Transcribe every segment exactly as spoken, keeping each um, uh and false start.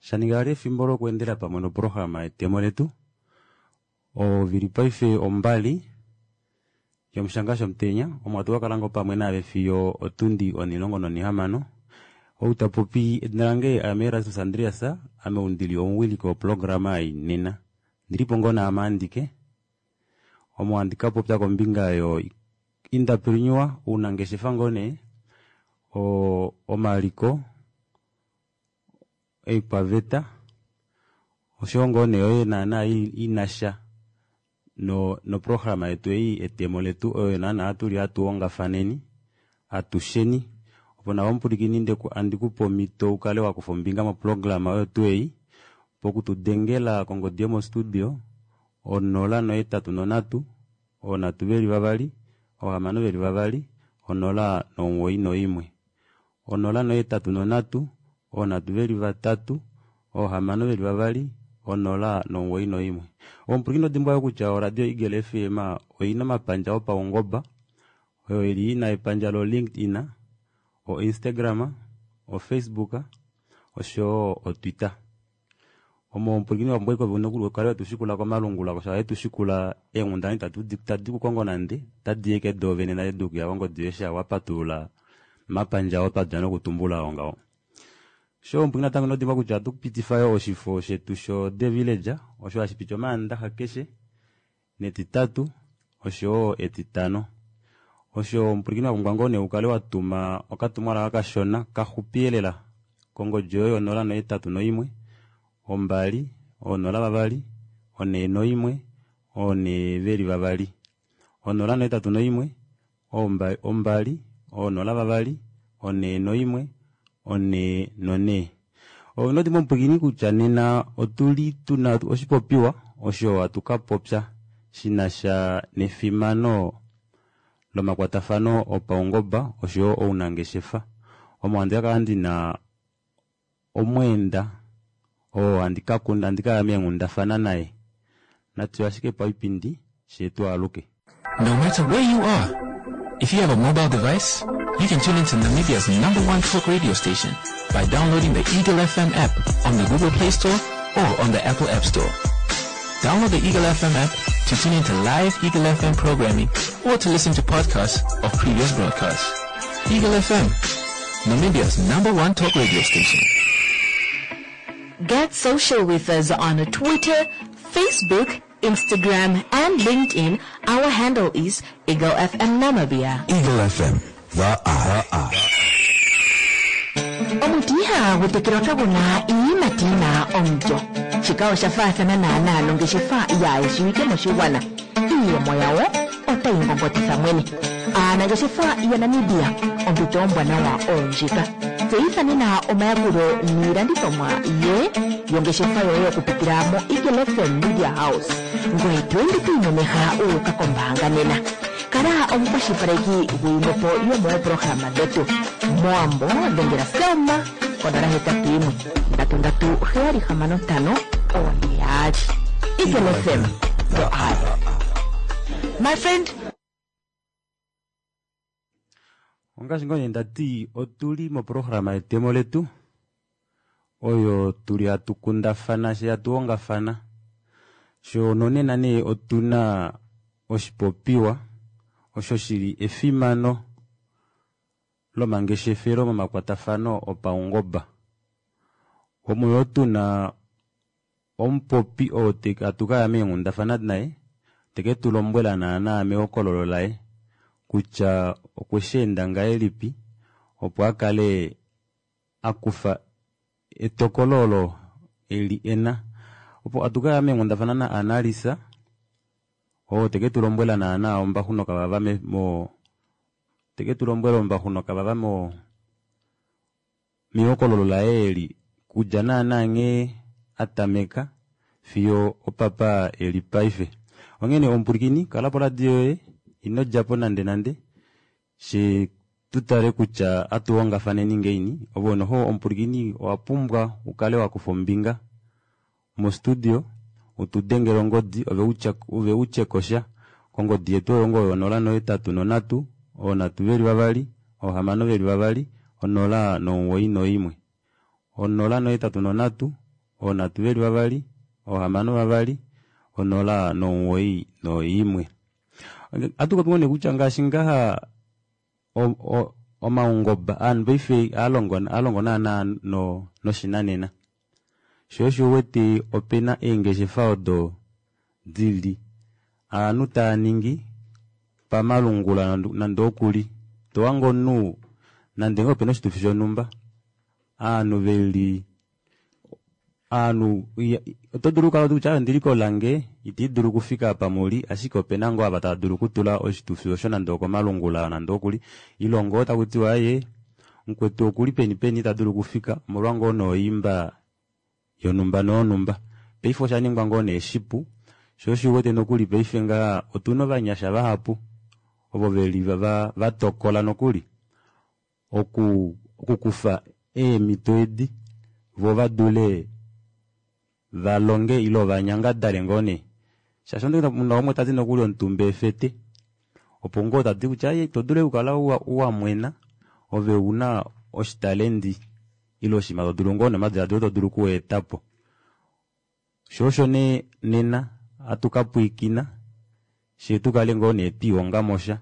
Shaninga vali efimbo lokuendela pamwe noprograma yetemo letu ovili paife ombali yomushanga shomutenya omo hatu kakala ngoo pamwe naave fiyo otundi onilongo nonihamano. Ou tapopi edina lange aame Erastus Andreas, ame ou ndili omuwiliki woprograma ei nena. Ndilipo ngoo naame andike omo handi kapopya kombinga yo entrepreneur ounangeshefa ngoo nee o omaliko oikwaveta oshoyo ngoo nee oyo naana inasha no noprograma yetu ei etemo letu oyo naana tuli hatu ongafaneni atusheni opo nawa omupulikini ndeku andikupe omhito ukale wakufa ombinga moprograma oyo tuu ei pokutudengela kongodi yomostudio onola nohetatu nonhatu oonhatu veli vavali oohamano veli vavali onola nomuwoi noimwe onola nohetatu nonhatu oonhatu veli vatatu oohamano veli vavali onola nomuwoi noimwe. Omupulikini odimbwa yoo kutya oradio Eagle F M oina omapandja opaungoba oyo ili ina epandja lo LinkedIn, o Instagram, o Facebook oshoyo o Twitter. Omo omupulikini wa pumbwa ove nokuli ukale wetushikula komalungula osho hayetushikula eenghundana itatu tadi kukongo nande otadi yeke doovene nale dukuya kongodi yoye sha wapatulula omapandja oo twadja nokutumbula oo ngaho. Sho omupulikini natango inodimbwa kutya ohatu pitifa yoo oshifo shetu sho The Villager osho hashi piti omaandaxa keshe netitatu oshoyo etitano. Osho omupulikini wapumbwa ngoo nee ukale watuma okatumwalaka kashona kaxupielela kongodi yoye onola nohetatu noimwe ombali onola vavali onee noimwe onee veli vavali onola nohetatu noimwe ombali onola vavali onee noimwe onee nonee. Inodimbwa omupulikini kutya nena otuli tuna oshipopiwa osho hatu kapopya shinasha nefimano lomakwatafano opaungoba oshoyo ounangeshefa. Omo handi kakala ndina omweenda oo handi kakunda handi kaya meenghundafana naye natu ashike paipindi shetu aluke. No matter where you are, if you have a mobile device, you can tune into Namibia's number one talk radio station by downloading the Eagle F M app on the Google Play Store or on the Apple App Store. Download the Eagle F M app to tune into live Eagle F M programming or to listen to podcasts of previous broadcasts. Eagle F M, Namibia's number one talk radio station. Get social with us on Twitter, Facebook, Instagram, and LinkedIn. Our handle is Eagle F M Namibia. Eagle F M, the eye. Omuti ihagu tekelwa kagu na iiyimati yi na omulyo. Shika osha faathana naanaa nongeshefa yaayeshiwike moshigwana. Iiyemo yawo otayi ngongotitha mwene. Aanangeshefa yaNamibia, ompito ombwanawa oyo ndjika. Tseyitha nena omayakulo niilandithomwa ye yongeshefa yoye okupitila moEagle F M Media House. Ngoye to ende to imemeha wu uka kombaanga nena. Kala omukwashilipaleki guyimwepo yomoopolohalama dhetu. Mowambo dhengela Selma konola hetatu yimwe ndatu ndatu heyali hamano ntano oone yaali. Eagle F M, the eye. My friend. Ongaashi ngoo nee ndati otuli moprograma yetemo letu oyo tuli hatu kundafana she hatu hongafana sho nonena nee otuna oshipopiwa osho shili efimano lomangeshefelo momakwatafano opaungoba. Omo yoo tuna omupopi oo hatu kaya meenghundafana naye teke tulombwela naana mehokololo laye kutya okwe shi enda ngahelipi opo akale akufa etokolo olo eli ena. Opo atukaya meenghundafana na Analisa oo teke tulombwela naana ombaxu nokavava me, mo, teke tulombwela ombaxu nokavava mo, mehokololo laye eli kudja naana nghee atameka fiyo opapa eli paife. Onghene omupulikini kala poradio yoye ino djapo nande nande she tutale kutya atuhongafaneni ngeini ove noho omupulikini owa pumbwa ukale wakufa ombinga mostudio utudengele ongodi ove utya, ove utye kosha kongodi yetu oyo ngoo yonola nohetatu nonhatu oonhatu veli vavali oohamano veli vavali onola nomuwoi noimwe onola nohetatu nonhatu Oonhatu veli vavali, oohamano vavali, onola nomuwoi noimwe. Ohatu popi ngoo nee kutya ngaashi ngaha omaungoba ovanhu paife ohalongo naana noshinanena shoo osho uwete opena eengeshefa odo dili ovanhu taaningi pamalungula nande okuli tohange omunhu nande ngoo opena oshitufi shonumba ovanhu veli ovanhu oto dulu okukala kutya ondili kolange ita idulu okufika apa muli ashike opena ngoo ava tava dulu okutula oshitufi osho nande okomalungula nande okuli ile ngoo takutiwa aaye mukwetu okuli peni peni ita dulu okufika omolwa ngoo nee oimba yonumba noyonumba. Paife oshaningwa ngoo nee shipu shoo osho uwete nokuli paife ngaha otuna ovanyasha vahapu ovo veli vatokola nokuli oku okukufa eemito edi voo vadule valonge ile vanyangadale ngoo nee shaashi muna umwe tati nokuli omutumba efete opo ngoo tati kutya ito dulu okukala wamwena ove una oshitalendi ile oshinima todulu ngoo nomadilaadilo todulu okuetapo. Shoo osho nee nena hatu kapwiikina fyee tukale ngoo nee twiihongamosha.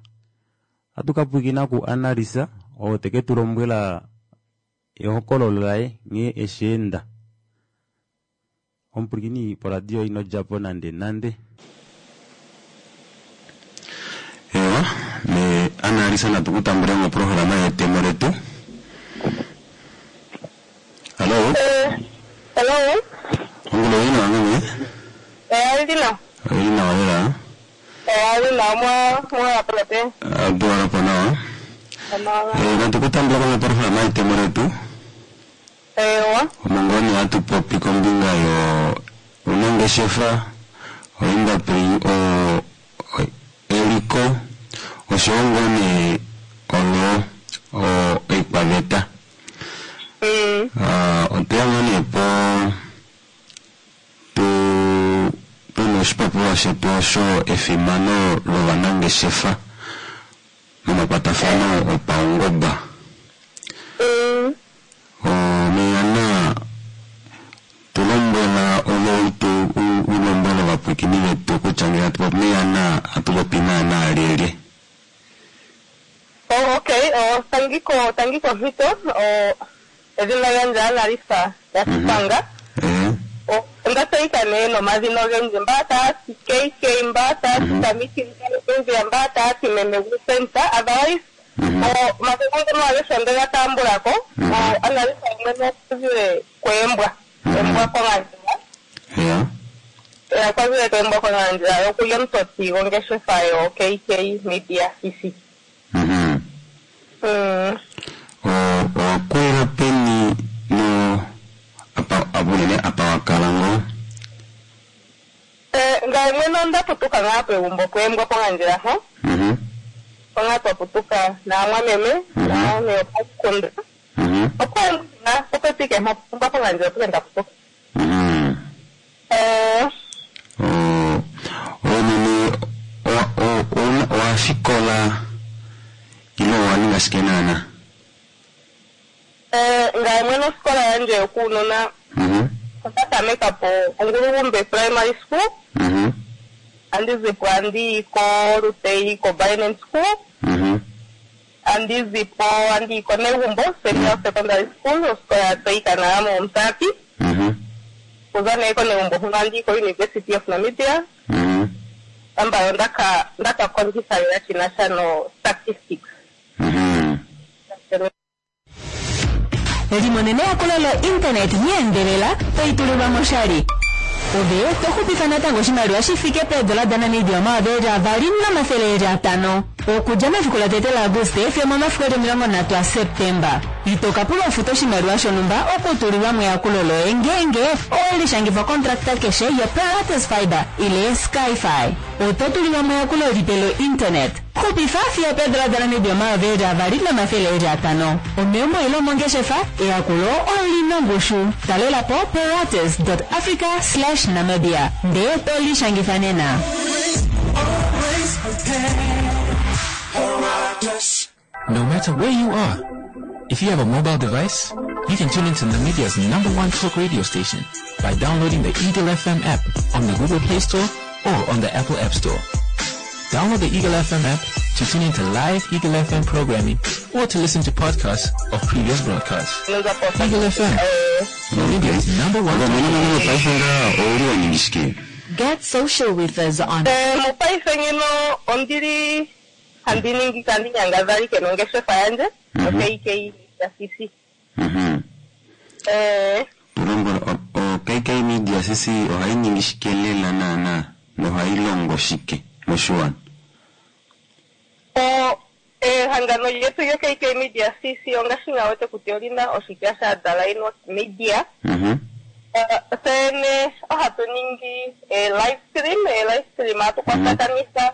Ohatu kapwiikina ku Analisa oo teketulombwela ehokololo laye nghee esheenda. Omupwilikini poradio inodjapo nande nande. Ewa, me Analisa natu kutambule moprograma yetemo letu. Hallo. Hello. Ongolo ina wange? Eh, ndina. Ina wala. Eh, ndina mwa mwa apalate. Bora po nawa. Eh, natu kutambula kwa programa yetemo letu. Ewa. Omongoni hatu popi kombinga yo unangeshefa oindustry o eliko oshowo ngoo nee olo o oikwaveta. Mm. Ah, otweya ngoo nee po tu tuna oshipopiwa shetu osho efimano lovanangeshefa momakwatafano opaungoba. Mm. Omeyana tulombwela ove tu ulombwela ovapwiikini vetu kutya ngele hatu popi meyana hatu popi naana lyelye. Oh, okay. Oh, tangiko tangiko mhito. Oh, edhina lyandje Analisa yaSipanga. Eh, Oh, onda tseyika nee nomadhina ogendji mba taya ti K K mba taya ti Tamiti Nzia mba taya ti meme Gusenta. Otherwise, oh, omadhina ngono agehe onde ga tambulako. Oh, Analisa mwene okuzile kweembwa. Embwa kongandjera. ya. Eh, okwazile kweembwa kongandjera okuli omutoti gongeshefa yo K K Media C C. Mhm. Mm. O owakulila peni no apa abunene apa wakala ngoo? Eh, ngaye mwene onda putuka ngaa pegumbo pweembwa pongandjera ho. Mhm. Onga twa putuka naamwameme, naame opakunda. Mhm. Opo nga popepi ke mpo pongandjera opo nda putuka. Mhm. Eh, O onene o o owafikola ile owaninga shike naana? eh, ngaye mwene osikola yandje yokuunona Mhm. onda tameka po Ongulugumbe Primary School, Mhm. andi zipo andi ko Rutei ko Binance School, Mhm. andi zipo andi ko Negumbo Senior Secondary School, osikola ya tseyika nawa moMusati. Mhm. Kuza nee koNegumbo huno andi ko University of Namibia. Mhm. Ambayo ndaka ndaka kondjitha lela shinasha no statistics. Mhm. Limonene eyakulo lo-internet nyeendelela toitulilwa moshali. Ove toxupifa natango oshimaliwa shi fike peedola daNamibia omayovi avali nomathele atano. Okudja mefiku latete laAguste fiyo momafiku eli omilongo nhatu aSeptemba. Ito ka pulwa ufuta oshimaliwa shonumba okutulilwa meyakulo loye ngeenge owelishangifa kontrakta keshe yoPilates Fiber ile Skyfi. Oto tulilwa meyakulo lipe lo-internet. Xupifa fiyo peedola daNamibia omayovi avali nomathele atano. Omeumbo ile omongeshefa, eyakulo olina ongushu. Talela po pilates dot africa slash namibia ndee tolishangifa nena. No matter where you are, if you have a mobile device, You can tune into Namibia's number one talk radio station by downloading the Eagle F M app on the Google Play Store or on the Apple App Store. Download the Eagle F M app to tune into live Eagle F M programming or to listen to podcasts of previous broadcasts. Eagle F M, Namibia's number one talk radio station. Get social with us on Eh, mopaife ngeno ondili handi ningi kandi nyangadhalike nongeshefa yandje no K K ya C C. Mhm. Eh, Tulongo o K K Media C C ohayi ningi shike lela naana nohayi longo shike moshiwana? O ehangano lyetu lyo K K Media C C ongashi nga wete kutya olina oshitya sha Dalaino Media. Mhm. Eh, tsene ohatu ningi e live stream, e live stream hatu kwatakanitha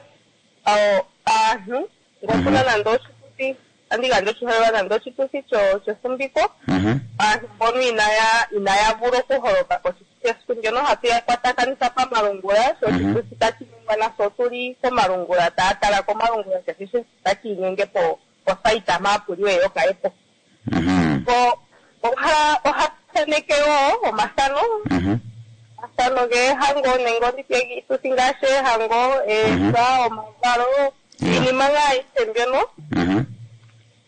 aantu ngokuna nande oshituthi, andi gandja oshiholelwa nande oshituthi cho chefumbiko. Mhm. Aantu mbono inaya inaya vula okuholoka koshituthi esiku ndyono ohatu ya kwatakanitha pamalungula, sho oshituthi tashi ningwa nasho otuli komalungula, taya tala komalungula keshe shimwe tashi inyenge po posaita mpa puli yo kayepo. Mhm. Po oha oha thaneke wo omathano. Mhm. Omathano geehango nenge onditye iituthi ngaashi eehango, eesa, omavalo, Yeah. iinima ngaa ayihe mbyono. Mhm.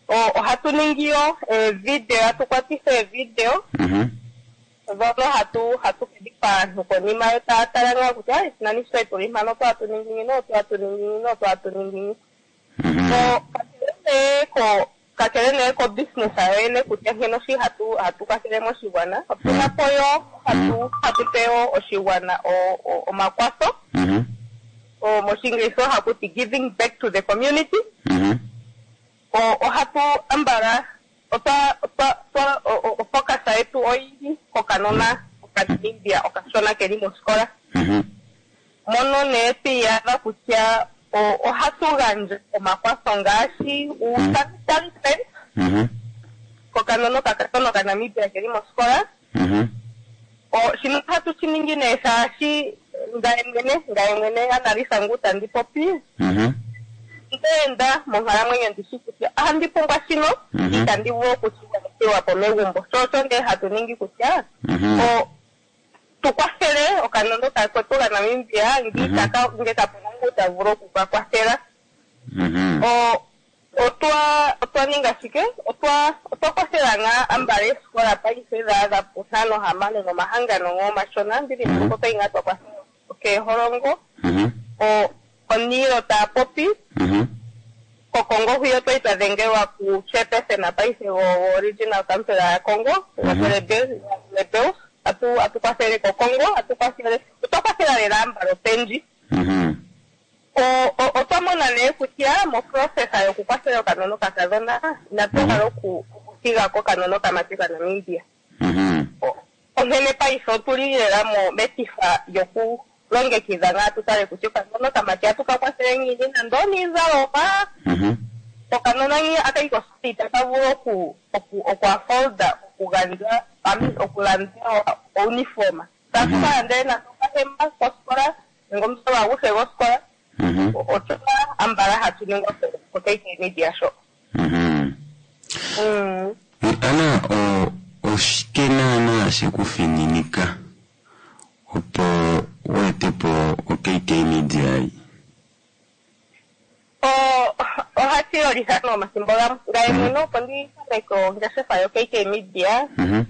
O, ohatu ningi yo eevideo, hatu kwatitha eevideo Mhm. dhono hatu hatu kedhipa aantu konima yo taya tala ngaa kutya, ai, nani sho tuli mpano otwa ningi ngino, otwa ningi ngino, otwa ningi ngino. Mhm. So, kakele nee ko kakele nee ko business yoyene kutya nkene oshi hatu hatu kwathele moshigwana, otuna po yo hatu hatu pe wo oshigwana o-, o-, omakwatho. Mhm. O, moshingilisa ohaku ti giving back to the community. Mhm. O, ohatu ambala otwa otwa otwa o-, o-, ofocus yetu oyili kokanona okaNamibia okashona keli mosikola. Mhm. Mono nee twiiyadha kutya o-, ohatu gandja omakwatho ngaashi uusanitary pads Mhm. kokanona okakadhona okaNamibia keli mosikola. Mhm. O, shino ohatu shi ningi nee shaashi ngaye mwene, ngaye mwene Analisa ngu tandi popi. Mhm. Ndeenda monkalamwenyo ndishi kutya ohandi pumbwa shino, Mhm. itandi vulu okushigwanithilwa po megumbo. Sho osho ndee hatu ningi kutya, Mhm. o, tu kwathele okanona kakwetu kaNamibia, ngi Mhm. itaka, nge kapuna ngu ta vulu oku ka kwathela. Mhm. O, otwa, otwa ninga shike? Otwa, otwa kwathela ngaa ambala eesikola paife dha adha puntano hamano nomahangano ngo omashona, ndili Mhm. mbuko twa ngaa twa kwathela okeeholongo. Mhm. O, oniilo taya popi. Mhm. KoKongo hwiyo twali twa dhengelwa ku chairperson paife go, go regional council ya Kongo, Mhm. Rebels. Atu, atu kwathele koKongo, atu kwathele, otwa kwathela lela ambala opendji. Mhm. O, o, otwa mona nee kutya mo process yokukwathela okanona okakadhona, inatu Mhm. hala oku, okuthiga ko okanona okamati kaNamibia. Mhm. O, onkene paife otuli lela mo metifa yokulongekidha ngaa tu tale kutya okanona okamati atu ka kwathele ngiini nando oniizalomwa. Mhm. Okanona ngi akayi kosikola itaka vulu oku, oku, oku afforda okugandja, I mean, okulanda uniform. Tatu Mhm. ka landele nando okahema kosikola nenge omuzalo aguhe gosikola. Mhm. O-, otuna ambala hatu ningwa ko-, ko K K Media sho. Mhm. Mm. Ana, o-, oshike naana shekufininika opo wu ete po o K K Media ei? O-, ohashi yolitha nomathimbo gamwe. Ngaye mwene opo ndi tameke ongeshefa yo K K Media. Mhm.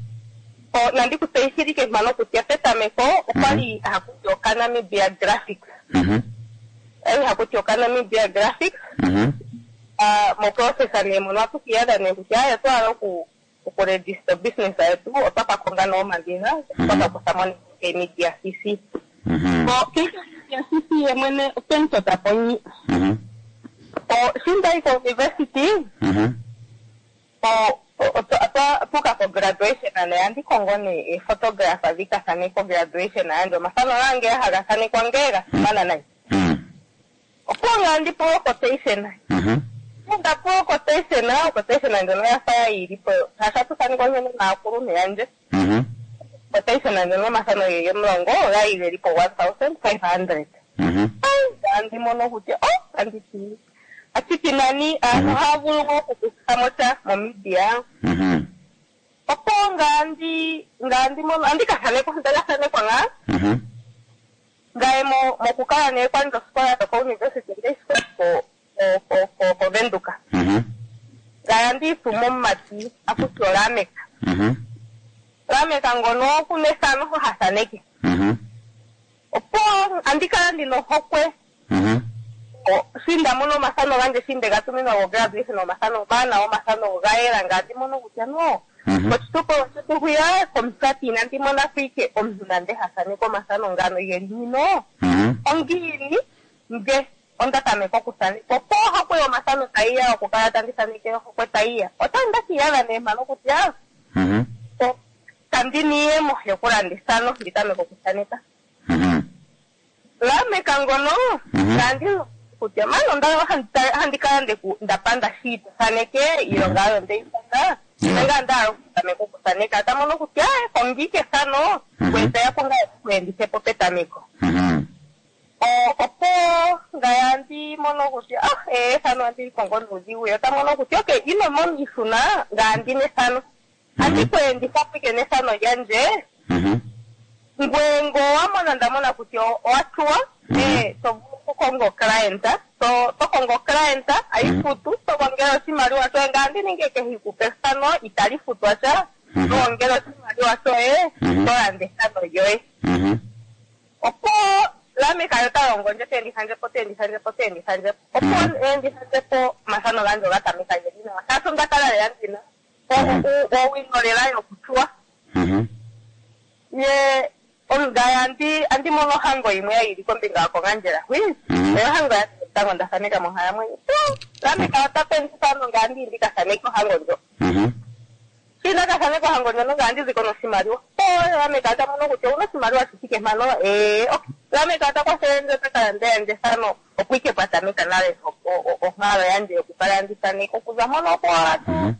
O, nandi ku tseyithile mpano kutya petameko okwali haku ti okaNamibia Graphics. Mhm. Okwali haku ti okaNamibia Graphics. Mhm. Ah, mo process nee mono ohatu kiiyadha nee kutya, aya, otwa hala oku, oku register business yetu, otwa ka konga nee omadhina, otwa ka kutha mo nee K K Media C C. Mhm. O, K K Media C C ye mwene otwe mu tota po nyi. Mhm. O, sho ndayi ko university, Mhm. o, o, otwa, otwa tuka ko graduation nee, andi kongo nee photographer dhi ka thaneke ko graduation yandje. Omathano gange haga thanekwa nge ga simana nayi. Mhm. Opo nga ndi po quotation. Mhm. Nda po quotation, quotation ndjono ya fa yili po. Hasha tu thanekwa nkene naakuluntu yandje. Mhm. Quotation ndjono omathano geli omulongo oga geli po one thousand five hundred. Mhm. Ai, andi mono kutya, oh, andi ti. Ashike nani, aantu ohaya vulu okukutha mo sha momedia. Mhm. Opo ngandi ngandi mono andi ka thanekwa ndaka thanekwa ngaa Mhm. ngaye mo mokukala nee kwandje osikola yokouniversity ndeisikola ko ko- ko- kovenduka Mhm. ngaye andiituma omumati akuti olameka Mhm. lameka ngono okuna ethano ha thaneke Mhm. opo andi kala ndina ohokwe Mhm. o- shi nda mono omathano gandje shi nde ga tuminwa gograduation omathano omawanawa omathano ga yela ngandi mono kutya no Mhm. koshitopolwa shetu hwiya komusati inandi mona ko ike omuntu nande ha thaneke omathano ngano geli ngino Mhm. ongiini nge onda tameka okuthaneka opo ohokwe yomathano tayiya okukala tandi thaneke ohokwe tayiya otandi ndakiyadha nee mpano kutya Mhm. o- kandi niiyemo yokulanda ethano ndi tameka okuthaneka Mhm. lameka ngono Mhm. kandi kutya mani onda handi- handi kala ndeku ndapanda shi thaneke iilonga oyo ndeyi panda Yeah. nanga ndahala okutameka okuthaneka tamono kutya eh, kongiike ethano Mhm. kwetaya po ngaa kuendithepo petameko Mhm. O- opo ngaya ndi mono kutya ah eh, ethano andi likongo nuudhigu yo tamono kutya okay ino mona iihuna ngaya ndina ethano andi kweenditha pwike nethano lyandje Mhm. ngwe ngo wamona ndamona kutya owa tsuwa Mhm. eh, to vulu okukonga oclient to to kongo oclient ayifutu to gongela oshimaliwa shoye ngaa ndi ninge kehe ikupe ethano itali futwa sha Mhm. to gongela oshimaliwa shoye Mhm. to landa ethano lyoye Mhm. opo lameka yo ta longo ndje teenditha ndje po teenditha ndje po teenditha ndje po opo Mhm. eenditha ndje po omathano gandje oga tameka geli nawa shaashi onda kala lela ndina Mhm. owino lela yokutsuwa Mhm. ye ongaya andi andi mono ohango yimwe ya yili kombinga yokongandjela hwi Mhm. oyo ohango ya tango nda thaneka monkalamwenyo lameka ota pendithano ngaa ndi ndi ka thaneke ohango ndjo Mhm. shi nda ka thaneka ohango ndjono ngaa ndi ziko noshimaliwa po lameka ota mono kutya owuna oshimaliwa shi thike mpano ee ok lameka ota kwathele ndje ota kalanda yandje ethano opo ike pwa tameka nale o- o- o- onkalo yandje yokukala andi thaneka okuza mpono opo owala tu Mhm.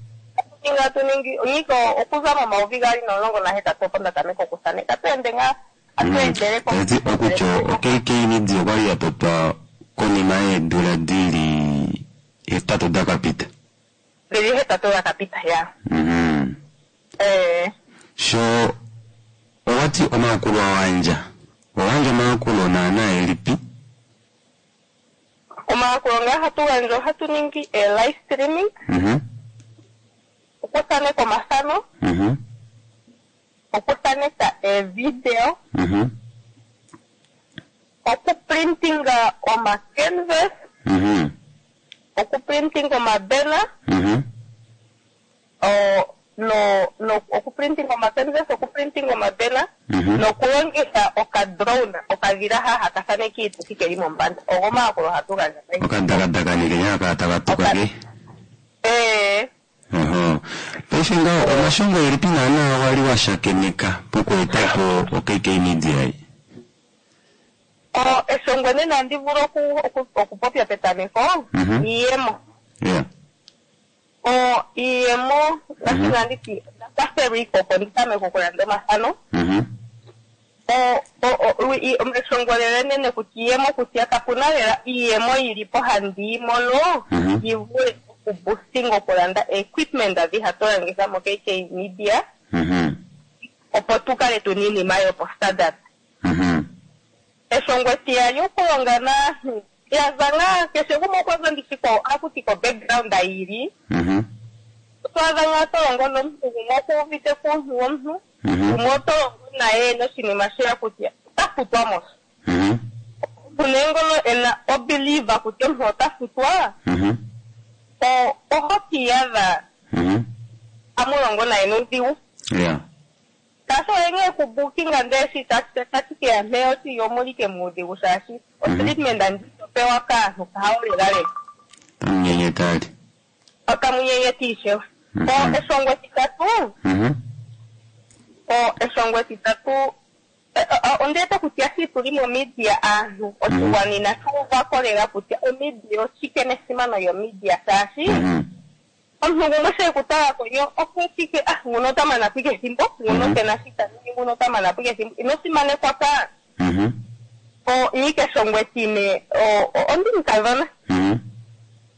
ninga tu ningi niko okuza momayovi gaali nomulongo nahetatu opo nda tameka okuthaneka tu ende ngaa atu endele ko- Tati okutya o-K K Media okwali ya totwa konima yeedula dili hetatu dakapita. dhili hetatu dhakapita ya Mhm. Eh, Sho owati omayakulo wandja owandja omayakulo naana elipi? Omayakulo ngaa hatu gandja ohatu ningi e live streaming, Mhm. okuthaneka omathano, Mhm. okuthaneka evideo, Mhm. okuprintinga omacanvas, Mhm. okuprintinga omabena, Mhm. o- no no okuprintinga omacanvas, okuprintinga omabena Mhm. nokulongitha okadrone okadhila ha haka thaneke iituthi keli mombanda. Ogo omayakulo hatu gandja paife. Okadakadaka nekenya kala taka tuka ke. Eh, Oho. Paife ngaho omashongo elipi naana wali wa shakeneka pokuetapo o-K K Media ei? o eshongo enene andi vulu oku- oku- okupopya petameko Mhm. iiyemo. Yeah. O iiyemo ngaashi Mhm. nanditi ndakwathelwa ike opo ndi tameke okulanda omathano. Mhm. O- o- o- i- eshongo lela enene kutya iiyemo kutya kapuna lela iiyemo yili po handi yi mono Mhm. yi vule okuboostinga okulanda equipment adhi hatu longitha mo K K Media Mhm. opo tu kale tuna iinima yopo standard. Mhm. Eshongo etiyali okulonga naantu yaza ngaa keshe gumwe okwa za ndishi ko akuti ko background yili Mhm. to adha ngaa to longo nomuntu gumwe okuuvite kuuntu womuntu Mhm. gumwe oto longo naye noshinima sheya kutya ota futwa mos Mhm. omuntu nee ngono ena obelieve kutya omuntu ota futwa Mhm. o- oho kiiyadha Mhm. amulongo naye nuudhigu Yeah. shaashi oye ngee kubukinga ndee shi tashi keya mpeya oti omulike muudhigu shaashi otreatment andi topewa kaantu kahawo lelalela Tamunyenyeta ali. okamunyenyeti ishewe. Mhm. O eshongo etitatu Mhm. o eshongo etitatu eh, eh, ondiwete kutya shi tuli momedia aantu oshigwana inashi uvako lela kutya omedia oshike nesimano yomedia shaashi Mhm. omuntu gumwe she kutala konyo okwetike ah nguno ota mana po ike ethimbo nguno Mhm. kena shi ta ningi nguno ota mana po ike ethimbo ino simanekwa ka Mhm. o nyika eshongo etine o- o- ondi mukadhona Mhm.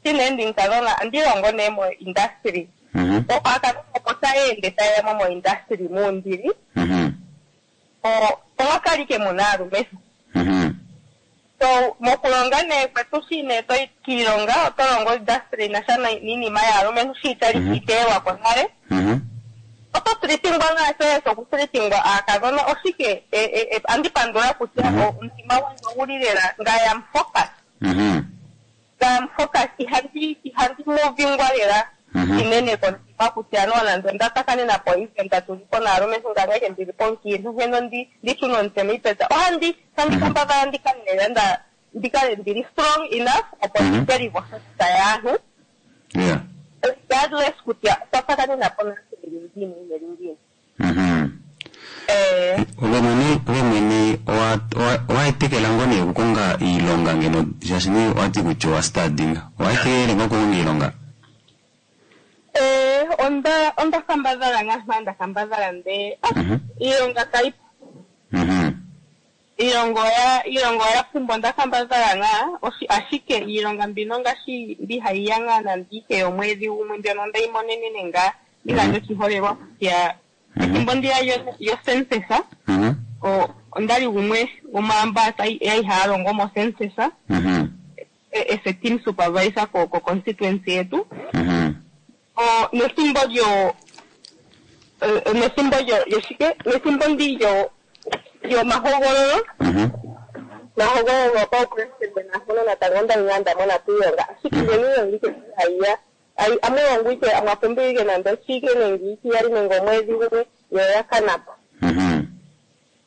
shine ndi mukadhona andi longo nee mo industry Mhm. o aakadhona opo tayeende tayeya mo moindustry muundili Mhm. o- omwa kali ke muna aalumentu Mhm. so mokulonga nee kwetu shi nee toyi kiilonga oto longo industry nasha niinima yaalumentu shi itali Mhm. iteelwako nale Mhm. oto tritingwa ngaasho yesu okutritingwa aakadhona oshike e- e- e- andi pandula kutya Mhm. o- omutima gwandje oguli lela ngayam focus Mhm. ngayam focus ihandi ihandi movingwa lela Mhm. inene komutima kutya no nande onda tsakanena po event tuli po naalumentu ngangeke ndili po omukiintu heno ndi ndishune omutse miipeta ohandi handi Mhm. kambadhala ndikale lela nda ndikale ndili strong enough opo Mhm. ndidelive osita yaantu Yeah. regardless kutya otwa tsakanena po naantu yeli ngiini yeli ngiini Mhm. eh Ove mwene ove mwene owa- owa- owaetekela ngoo nee okukonga iilonga ngeno shaashi nee owati kutya owa stadinga owaetekele ngoo okukonga iilonga Eh, onda onda kambadhala ngaa nda kambadhala nde ah, Mhm. iilonga kayi Mhm. iilonga oya iilonga oya pumbwa onda kambadhala ngaa oshi- ashike iilonga mbino ngaashi mbi hayi ya ngaa nande ike yomwedhi gumwe mbyono ondeyi monenene ngaa igandja oshiholelwa kutya Mhm. ethimbo ndiya yo- yocensus Mhm. o- ondali gumwe gwomaamba yali haya longo mocensus Mhm. e- as a team supervisor ko ko constituency yetu Mhm. o nethimbo lyo eh, nethimbo lyo lyoshike nethimbo ndi lyo lyomahogololo Mhm. mahogololo gopaupresidente nahono natango onda li ngaa nda mona piilonga ashike ngeno iilonga ike hayiya ayi- amulongo ike mwapumbiwa ike nande oshike nenge ikiyali nenge omwedhi gumwe yo oya kanapo Mhm.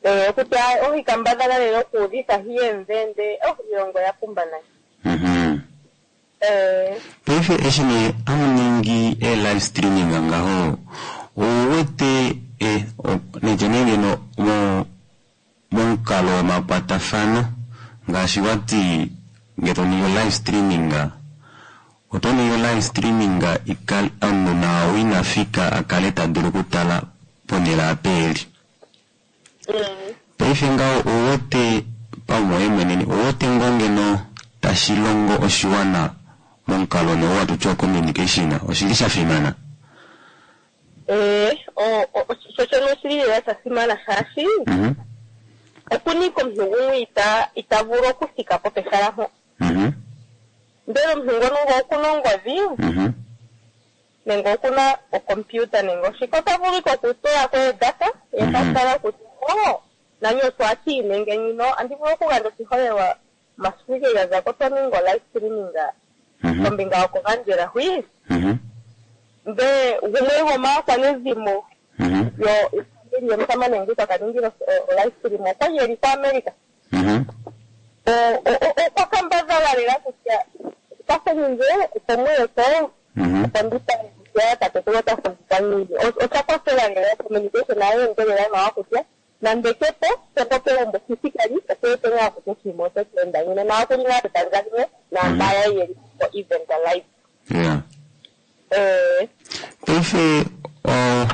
Eh, kutya ohikambadhala lela okuudhitha hiyemvende oh iilonga oya pumba nayi Mhm. Eh, paife eshi nee amuningi e live streaming ngaho ouwete eh, o- nitye nee ngeno mo- momukalo womakwatafano ngaashi wati nge toningi live streaming oto ningi live streaming ikale omunhu nao inafika akale tadulu okutala ponhele apa eli mm. paife ngaho ouwete paumwe mweneni ouwete ngoo ngeno tashi longo oshiwana momukalo nee watutya communication oshili sha fimana Eh, o- o- sho shono oshili lela sha simana shaashi Mhm, okunika omuntu gumwe ita ita vulu okuthika po pehala mpo mhm, ndele omuntu ngono ngo okuna ongodhi mhm, nenge okuna okompiuta nenge oshike ota vulu ike okutula ko edata ye ta Mhm. tala kutya o nani osho ati nenge nyino andi vulu okugandja oshiholelwa masiku ike ga za ko twa ninga olive streaming mhm, kombinga yokugandjela hwi mhm, nde gumwe gwomaakwanezimo mhm, yo yofamili yomusamane nguka ka ningile olive stream okwali eli koAmerica mhm, O- o- o- okwa kambadhala lela kutya kwathele opo muye ko mhm, opo ndi tale kutya tatekulu ota fumvikwa ngiini. O- osha kwathela lela communication ayo endelela nawa kutya nande kepo kepo pegumbo physically okuwete ngaa kutya oshinima otashi enda ngiini na okuli ngaa pepandja limwe naamba yaye yeli ko event live. yeah. Eh, paife o-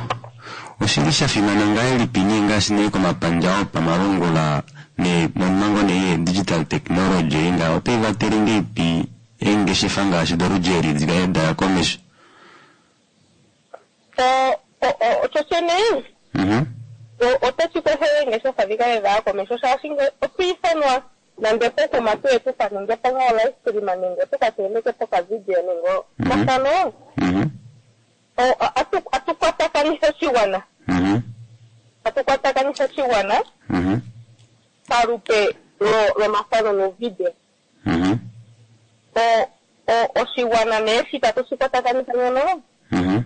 oshili sha fimana ngahelipi nee ngaashi nee komapandja opamalungula ne nomhango nee ye digital technology nga otai vatele ngeipi eengeshefa ngaashi doludji dikale daya komesho o- o- o- osho shene Mhm, o- otashi kwathele oongeshefa dhi kale dhaya komeho shaashi nge otwa ithanwa nande pokuma tuye tuka ninge po ngaa olive stream nenge tuka teneke po kavideo nenge Mhm. mafano mhm, o- a- atu- atu kwatakanitha oshigwana mhm, atu kwatakanitha oshigwana mhm, palupe lo- lomafano nuuvideo mhm, O- o- oshigwana nee shi tatu shi kwatakanitha nyono mhm,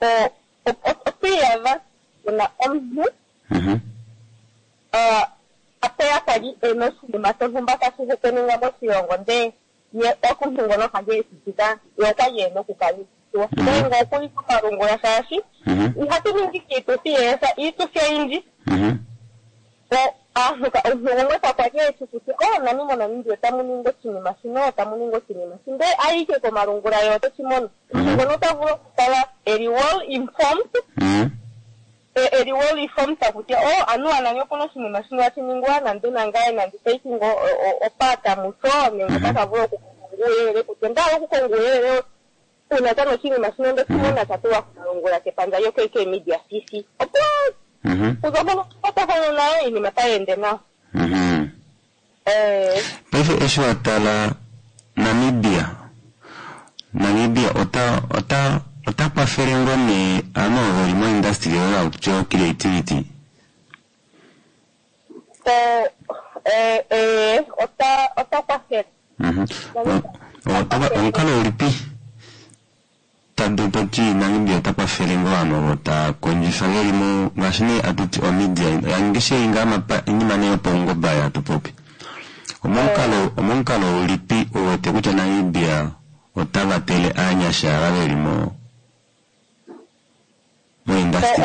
o- o- o- otwiiyadha puna omuntu mhm, ah, apeya kali ena oshinima shontumba tashi hekeninga moshilongo ndee ye omuntu ngono kali eshitika ye okwali ena okukala eshiwa Mhm. nenge okuli komalungula shaashi mhm, ihatu ningi kiituthi yeesa iituthi oyindji mhm, o aantu ka- omuntu gumwe kakwali eshi kutya o nani moNamibia otamu ningi oshinima shino otamu ningi oshinima shi ndee ayike komalungula ye oteshi mono omuntu ngono ota vulu okukala eli well informed mhm, e- eli well informed kutya o anuwa nani okuna oshinima shino hashi ningwa nande nangaye nandi taking o- o- opata musho nenge Mhm. otaka vulu okukonga uuyelele kutya ndahala okukonga uuyelele Uuna tano oshinima shino ndeshi mona sha tulwa komalungula kepandja lyo-K K Media C C opo Mhm. kuza mpono kwatathano nayo iinima tayi ende nawa. Mhm. Eh, Paife eshi wa tala Namibia Namibia ota ota ota kwafele ngoo nee ovanhu ovo veli mo-industry oyo hakutiwa creativity. eh, eh, eh, ota ota kwafele. Mhm. O- ota- omukalo ulipi tadu toti Namibia ota kwafele ngoo ovanhu ovo taa kondjifa veli mo ngaashi nee atuti omedia yangeshe inga mapa inima nee yopaungoba hatu popi. Omomukalo omomukalo ulipi uwete kutya Namibia ota vatele aanyasha ava veli mo mo-industry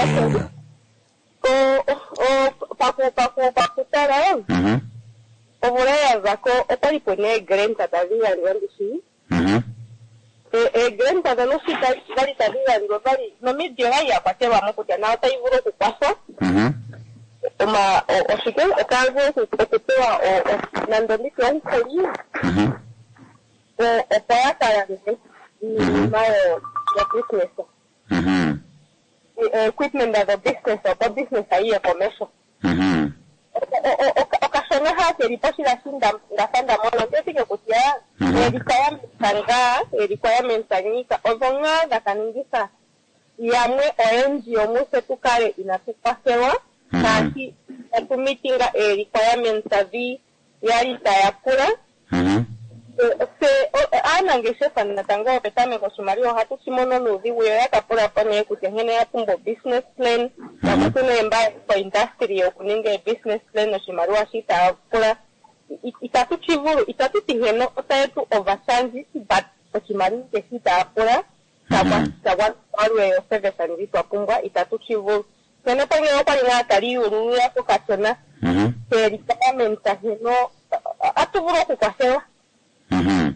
O- o- o- paku paku pakutala Mhm. omvula ya za ko okwali puna eegrant tadhi gandjwa ndishi. Mhm. Eegrant dhono shi dhali tadhi gandjwa odhali nomidia oyali ya kwatelwa mo kutya nayo otayi vulu okukwatha Mhm. oma o- oshike otaya vulu oku- okupewa o- o- nando nditye omukuli Mhm. o- opo ya ka lande iinima yo yo business Mhm. E- equipment dho business opo business yiye komeho. Mhm. O- o- o- okashona ha keli po shila shi nda- ndafa nda mona ondetike kutya Mhm. ee-requirements ngaa ee-requirements nyika odho ngaa dha ka ningitha yamwe oyendji yomutse tu kale inatu kwathelwa Mhm. shaashi inatu mitinga ee-requirements dhi yali taya pula. Mhm. Se o- aanangeshefa natango petameko oshimaliwa ohatu shi mono nuudhigu yo ya ka pula po nee kutya nkene ya pumbwa business plan nakutu nee mba ko industry yokuninga e-business plan oshimaliwa shi taya pula I- itatu shi vulu itatu ti nkene otaye tu overcharge but oshimaliwa keshi taya pula Mhm. shagwalwe yo service ndji twa pumbwa itatu shi vulu nkene pangelo okwali ngaa tali yululula ko kashona Mhm. ee-requirements nkene atu vulu okukwathelwa. Mhm.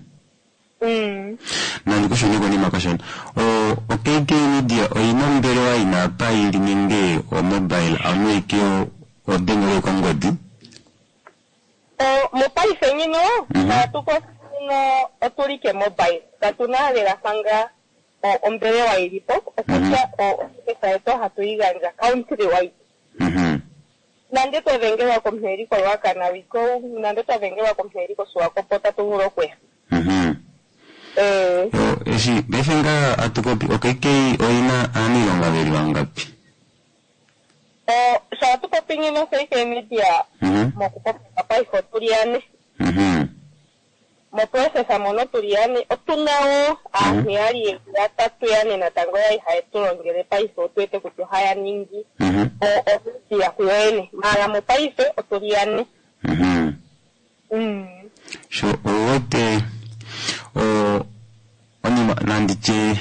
Mm. Nandi kushune konima kashona. O o K K Media oyina ombelewa yina apa yili nenge o mobile anu ike odengele kongodi? O, mopaife nyino Mhm. tatu nyino otuli ke mobile katuna lela fanga o- ombelewa yilipo okutya ofisa yetu ohatu yi gandja country wide. Mhm. Nande twa dhengelwa komuntu eli koRuacana wiko nande twa dhengelwa komuntu eli koSwakopo otatu vulu okuya. Mhm. Eh, Yo eshi paife ngaa atupopi o K K oyina aaniilonga veli vangapi? o, sho atu popi nyino K K Media Mhm. mokupopya paife otuli yane. Mhm. Moprocess mono tuli yane otuna wo aantu yali yeli yatatu yane natango yali haye tu longele paife otu wete kutya ohaya ningi Mhm. o- omedia kuyo yene maala mopaife otuli yane. Mhm. Mm. Sho owete o onima nanditye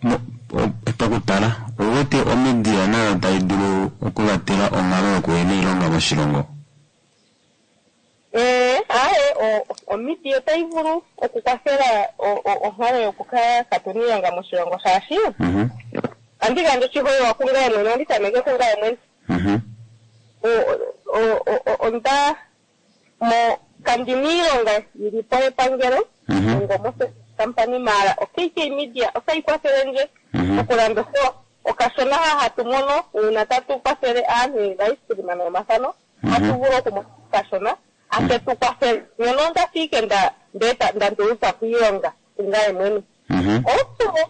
mo- o- pakutala owete omedia nayo tayi dulu okuvatela onghalo yokuhena iilonga moshilongo? Eh, aye o- omedia otayi vulu okukwathela o- o- onkalo yokukala katuna iilonga moshilongo shaashi Mhm. andi gandja oshiholelwa kungaye mwene andi tameke kungaye mwene. Mhm. O- o- o- o- onda mo kandina iilonga yili po yepangelo Mhm. ongo mo company maala o K K Media otayi kwathele ndje Mhm. okulanda othewa okashona ha hatu mono uuna tatu kwathele aantu yeice nomathano Mhm. hatu vulu okumona okashona ake tu kwathele nyono onda fiike nda ndeta nda nduluka piilonga kungaye mwene. Mhm. Also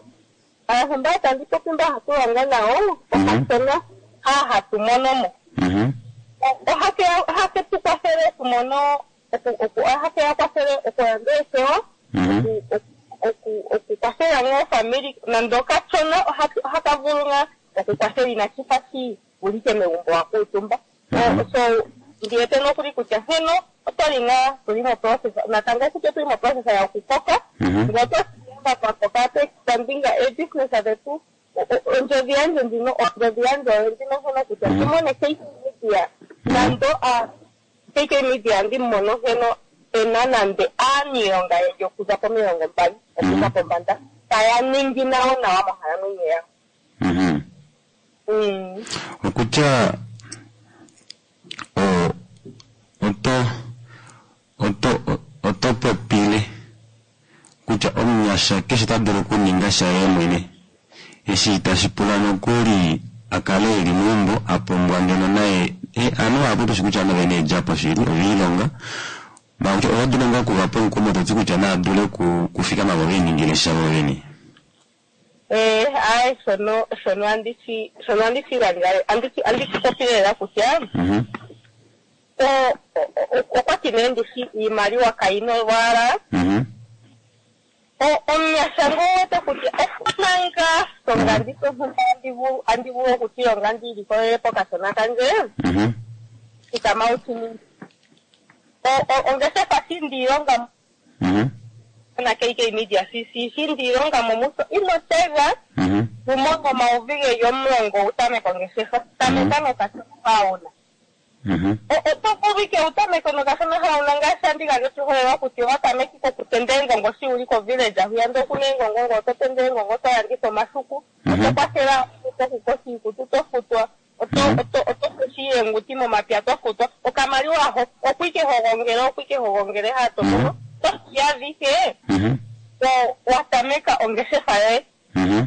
aantu mba tandi popi mba hatu longo nawo okashona ha hatu mono mo Mhm. ohake ohake tu kwathele okumono oku oku ohake ya kwathele okulanda oothewa Mhm. oku oku okukwathela ngaa ofamili nande okashona ohatu- ohaka vulu ngaa okukwathela inashi fa shi wulike megumbo wa kuutumba. Mhm. So ndiwete nokuli kutya nkeno otwali ngaa tuli moprocess natango kutya otuli moprocess yokukoka Mhm. ngele otwa twakoka twa expandinga ee-business dhetu o- o- ondjodhi yandje ndjino ondjodhi yandje oyo ndjino nkeno kutya Mhm. tumone K K Media nando a K K Media ndi mono nkeno ena nande aaniilonga yeli okuza pomilongo mbali okuza pombanda taya ningi nawo nawa monkalamwenyo yawo. Mhm. Mm. Okutya o oto oto oto popile kutya omunyasha Omunyasha keshe ta dulu okuninga shaye mwene eshi itashi pula nokuli a kale eli meumbo a pumbwa ngeno naye ovanhu vahapu tushi kutya ovanhu ovena eedjapo shili oveilonga maala oto dulu ngoo okuvapa omukumo toti kutya nava dule okufikama vo veliningile sha vovene. Eh, aye shono shono andishi shono andishi gandja andishi andishi popi lela kutya Mhm. o- o- o- okwati nee ndishi iimaliwa kayina olwaala Mhm. O- omunyasha ngowete kutya okuna ngaa songa ndisonhumba andi vulu andi vulu okuchilonga ndiilikolele pokashona kandje Mhm. thikama uchiningi O- o- ongeshefa shi ndiilonga Mhm. na K K Media C C shi ndiilonga momuso ino tega Mhm. wu mone omayovi geli omulongo wu tameke ongeshefa tameka nokashona hauna Mhm. oto vulu ike wu tameke nokashona hauna ngaashi andi gandja oshiholelwa kutya owa tameke kokutenda eengongo shi wuli kovillage hwiya ndee okuna eengongo ngo oto tende eengongo oto landitha omashuku oto kwathela okukosa iikutu to futwa oto oto oto koshi eenguti momapya to futwa okamaliwa ho okwike hogongele okwike hogongele hato mono tokiya adhihe Mhm. o- wa tameka ongeshefa yoye Mhm.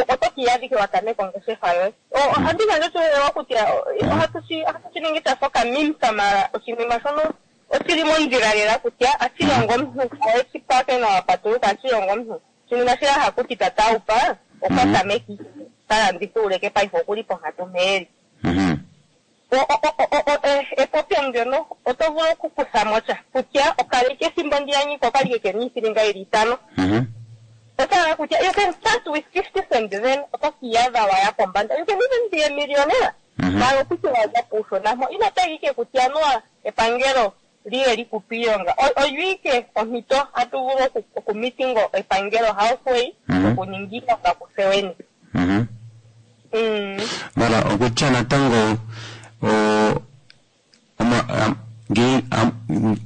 oto kiiyadhike wa tameka ongeshefa yoye. O- ohandi gandja oshiholelwa kutya o- ohatu shi ohatu shi ningi shafa okamimsa mala oshinima shono oshili mondjila lela kutya ashilongo omuntu oweshi pake nawa patuluka ashilongo omuntu oshinima shila hakuti tataupa okwa tameki talanditha uleke paife okuli ponkatu mpeeli. Mhm. O- o- o- o- o- e- epopyo ndyono oto vulu okukutha mo sha kutya okaleke ethimbo ndiyanyika okalike kena iithilinga yili itano Mhm. otala kutya you can start with fifty cent then oto kiiyadha waya pombanda. You can even be a millionaire Mhm. mala okutya waza puushona mpo ino tega ike kutya anuwa epangelo liye likupe iilonga. O- oyo ike ompito hatu vulu oku- okumitingo epangelo halfway Mhm. okuninga iilonga kutse wene. Mhm. Mm. Mara okutya natango o oma am- nge am-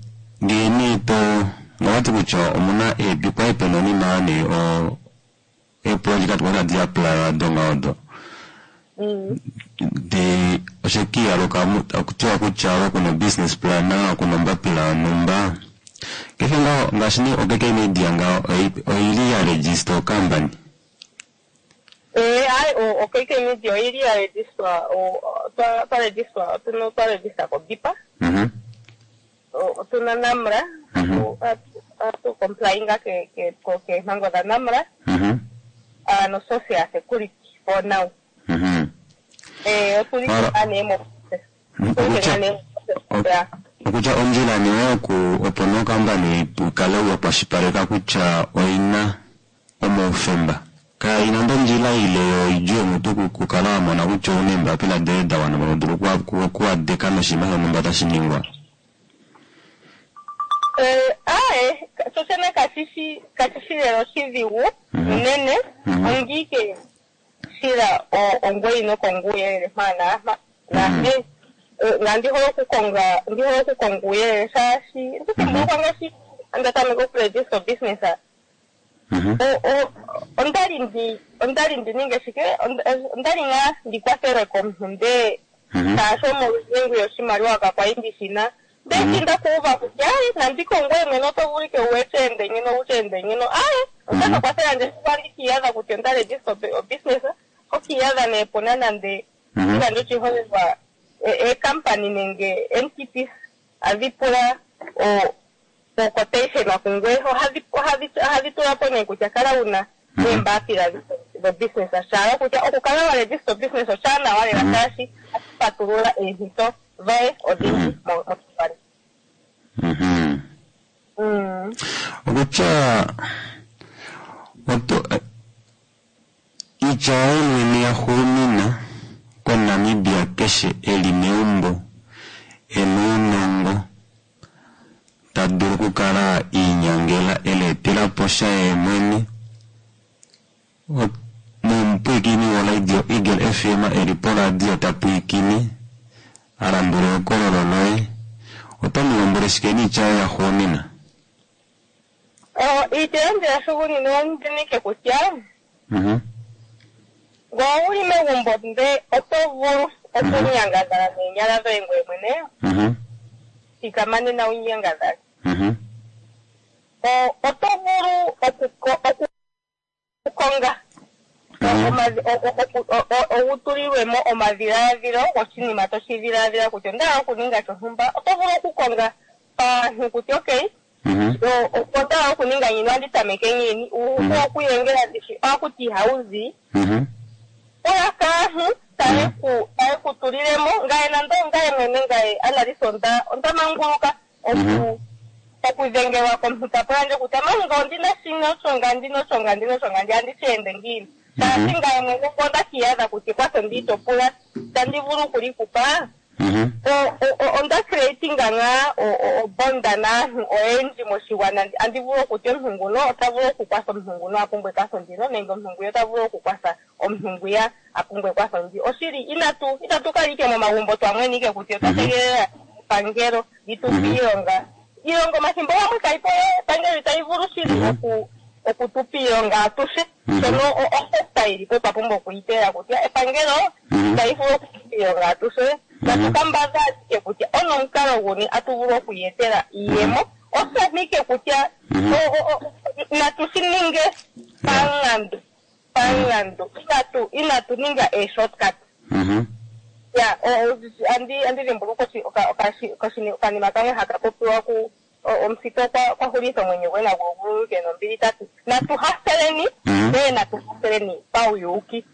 ngee nee to ngawati kutya omuna eepikwa epenonima nee o eeproject kwali hadi apply donga odo Mm. de oshekiyaluka okutiwa kutya okuna business plan okuna ombapila yonhumba kehe ngaho ngaashi nee oK K Media ngaho oi- oili ya register ocompany. Eh, ayi o- o K K Media oyili ya register o- o- twa twa register otuna twa register koBIPA. Mhm. O- otuna NAMRA Mhm. hatu hatu complyinga ke ke ko- keempango dha NAMRA Mhm. uh, no social security for now. Mhm. Eh, otuli Mara- nga nee mo process. Otuli Okutya nga nee mo process, yeah. okutya ondjila nee oku opo nokampani ukale wakwashipaleka kutya oina omaufemba kaina ndo ondjila ile yoidju yomutu kukala wamona kutya ouna eembapila doye da wana mono dulu okuwadeka noshinima shonhumba tashi ningwa. Eh, aye, shoshene kashishi kashishi lela oshidhigu Mhm. unene Mhm. ongiike shila o- ongwe ino konga uuyelele mpa naampa Mhm. nahe nga ndi hole okukonga ndi hole okukonga uuyelele shaashi ndikumbulukwa ngaashi anda tameka okuregista obusiness Mhm. o- o- ondali ndi ondali ndi ninge shike Onda- ondali ngaa ndi kwathelwe komuntu ndee Mhm. shaashi omolwengu yoshimaliwa kakwali ndi shina ndee shi ndakuuva kutya aye nandi kongwe mwene oto vulu ike uweche ngino uche ngino aye otaka kwathela ndje shi kwali kiiyadha kutya onda regista obusiness okiiyadha nee puna nande Mhm. igandja oshiholelwa eekampani nenge entities adhi pula o o-quotation kungwe ohadhi ohadhi ohadhi tula po nee kutya kala wuna neembapila dhobusiness shaala kutya okukala wa register business oshaanawa lela shaashi ohashi patulula eempito dhoye odhindji mo- moshigwana. Mhm. Mm. Okutya oto eh, iitya yoye mwene ya xuunina koNamibia keshe eli meumbo ena ounongo ta dulu okukala iinyangela eleetela po sha yee mwene O- nomupwiikini woradio Eagle F M eli poradio ta pwiikine a landula ehokololo loye oto mu lombwele shike niitya yoye ya xuunina? O, iitya yandje ya hugunina ondinike kutya Mhm. ngele owuli megumbo nde oto vulu okunyangadhala neenyala dhoye ngoye mwene Mhm. thikama nena wunyangadhale. Mhm. O- Oto vulu okuko- okukonga omadhi- o- o- o- o- o- owu tulilwe mo omadhiladhilo goshinima toshi dhiladhila kutya onda hala okuninga shontumba oto vulu okukonga paantu kutya okay o- o- onda hala okuninga ngiini andi tameke ngiini uupu okuyengela ndishi ohakuti ihawu zi oya kaantu taye ku taye ku tulilemo ngaye nando ngaye mwene ngaye analisa onda onda manguluka oku okudhengelwa komuntu ta pula ndje kutya manga ondina shino osho ndino osho ngandino osho ngandi andi shi ende ngiini taashi ngaye mwene onda kiiyadha kutya ekwatho ndi itopula tandi vulu okuli kupa o- o- o- onda creatinga ngaa o- o- obonda naantu oyendji moshigwana andi vulu okutya omuntu nguno ota vulu okukwatha omuntu nguno a pumbwa ekwatho ndino nenge omuntu ngwiya ota vulu okukwatha omuntu ngwiya a pumbwa ekwatho ndi oshili inatu itatu kala ike momagumbo twamwene ike kutya otwa tegelela epangelo li tu pe iilonga iilonga omathimbo gamwe kayi po epangelo itayi vulu shili oku okutupa iilonga atushe shono osekta yili po twa pumbwa okuyitela kutya epangelo itayi vulu okutupa iilonga atushe natu kambadha ashike kutya onomukalo guni atu vulu okuyetela iiyemo oshamike kutya o- o- o- natu shi ninge pamulandu pamulandu inatu inatu ninga e-shortcut ya o- o- andi andi dhimbulukwa oshi- oka- okashi- okashi- okanima kamwe haka popiwa ku o- omusita okwa okwa hulitha omwenyo gwe nagwo gululuke nombili tati natu haseleni ndee natu haseleni pauyuuki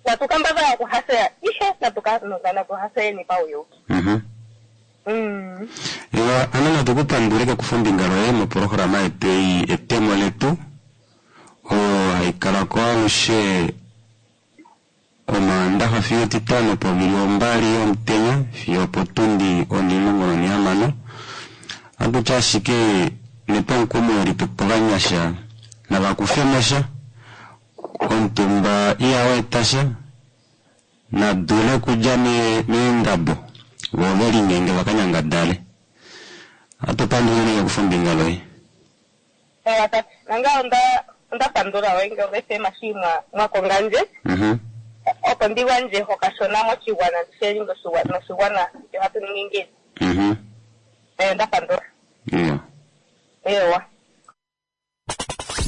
natu kambadhala okuhasela ihe natu ka- natu haseleni pauyuuki Mm. Ewa, ano natu kupandule kakufa ombinga loye mopolohalama yetu ei etemo letu oyo hayi kala ko alushe omaandaxa fiyo etitano povili ombali yomutenya fiyo opotundi onimulongo nonihamano atutya ashike nepomukumo litu povanyasha navakufemo sha omutumba ihaweeta sha nadule okudja me- meendabo vo velinyenge vakanyangadale atupandule nee kakufa ombinga loye Ewa tati nanga onda onda pandula wenge ofm shi mwa mwakonga ndje Mhm. opo ndi gandje okashona moshigwana ndishelinge noshigwana kutya ohatu ningi ngiini Mhm. Eh, onda pandula Yeah. ewa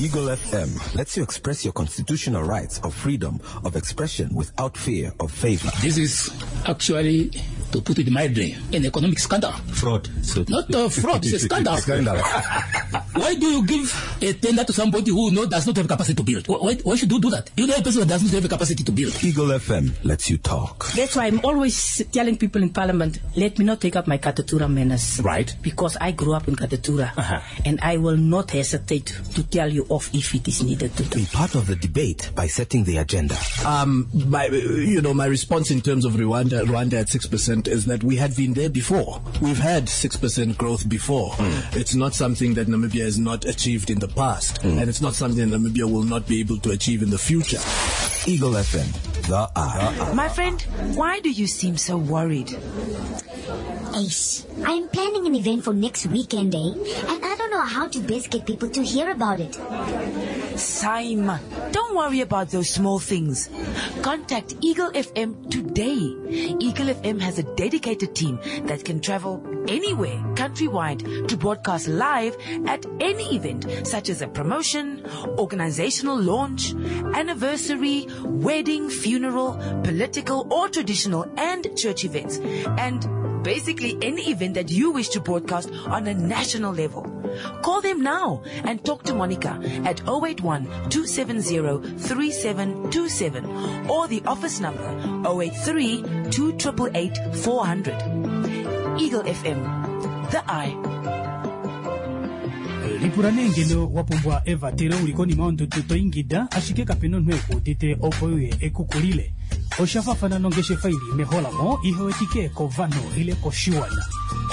Eagle F M lets you express your constitutional rights of freedom of expression without fear of favor. This is actually, to put it mildly, an economic scandal. Fraud. So to Not speak. a fraud, it's a scandal. Scandal. Why do you give a tender to somebody who no, does not have capacity to build? Why, why should you do that? You know a person who does not have capacity to build. Eagle F M lets you talk. That's why I'm always telling people in parliament, let me not take up my Katutura manners. Right. Because I grew up in Katutura. Uh-huh. And I will not hesitate to tell you off if it is needed to do. Be part of the debate by setting the agenda. Um, my, you know, my response in terms of Rwanda, Rwanda at six percent is that we had been there before. We've had six percent growth before. Mm. It's not something that Namibia has not achieved in the past, Mm. and it's not something that Namibia will not be able to achieve in the future. Eagle F M, the eye. My friend, why do you seem so worried? Ace, I'm planning an event for next weekend, eh? And I don't know how to best get people to hear about it. Simon, don't worry about those small things. Contact Eagle F M today. Eagle F M has a dedicated team that can travel anywhere countrywide to broadcast live at any event, such as a promotion, organizational launch, anniversary, wedding, funeral, political or traditional and church events, and basically any event that you wish to broadcast on a national level. Call them now and talk to Monica at oh eight one, two seven zero, three seven two seven or the office number oh eight three, two triple eight, four hundred. Eagle F M, the eye. Lipula nee ngeno wa pumbwa evatelo uli konima yondudu to ingida ashike kapena omunhu ekuudite opo uye ekukulile. Osha faafana nongeshefa ili meholamo ihewetike kovanhu ile koshiwana.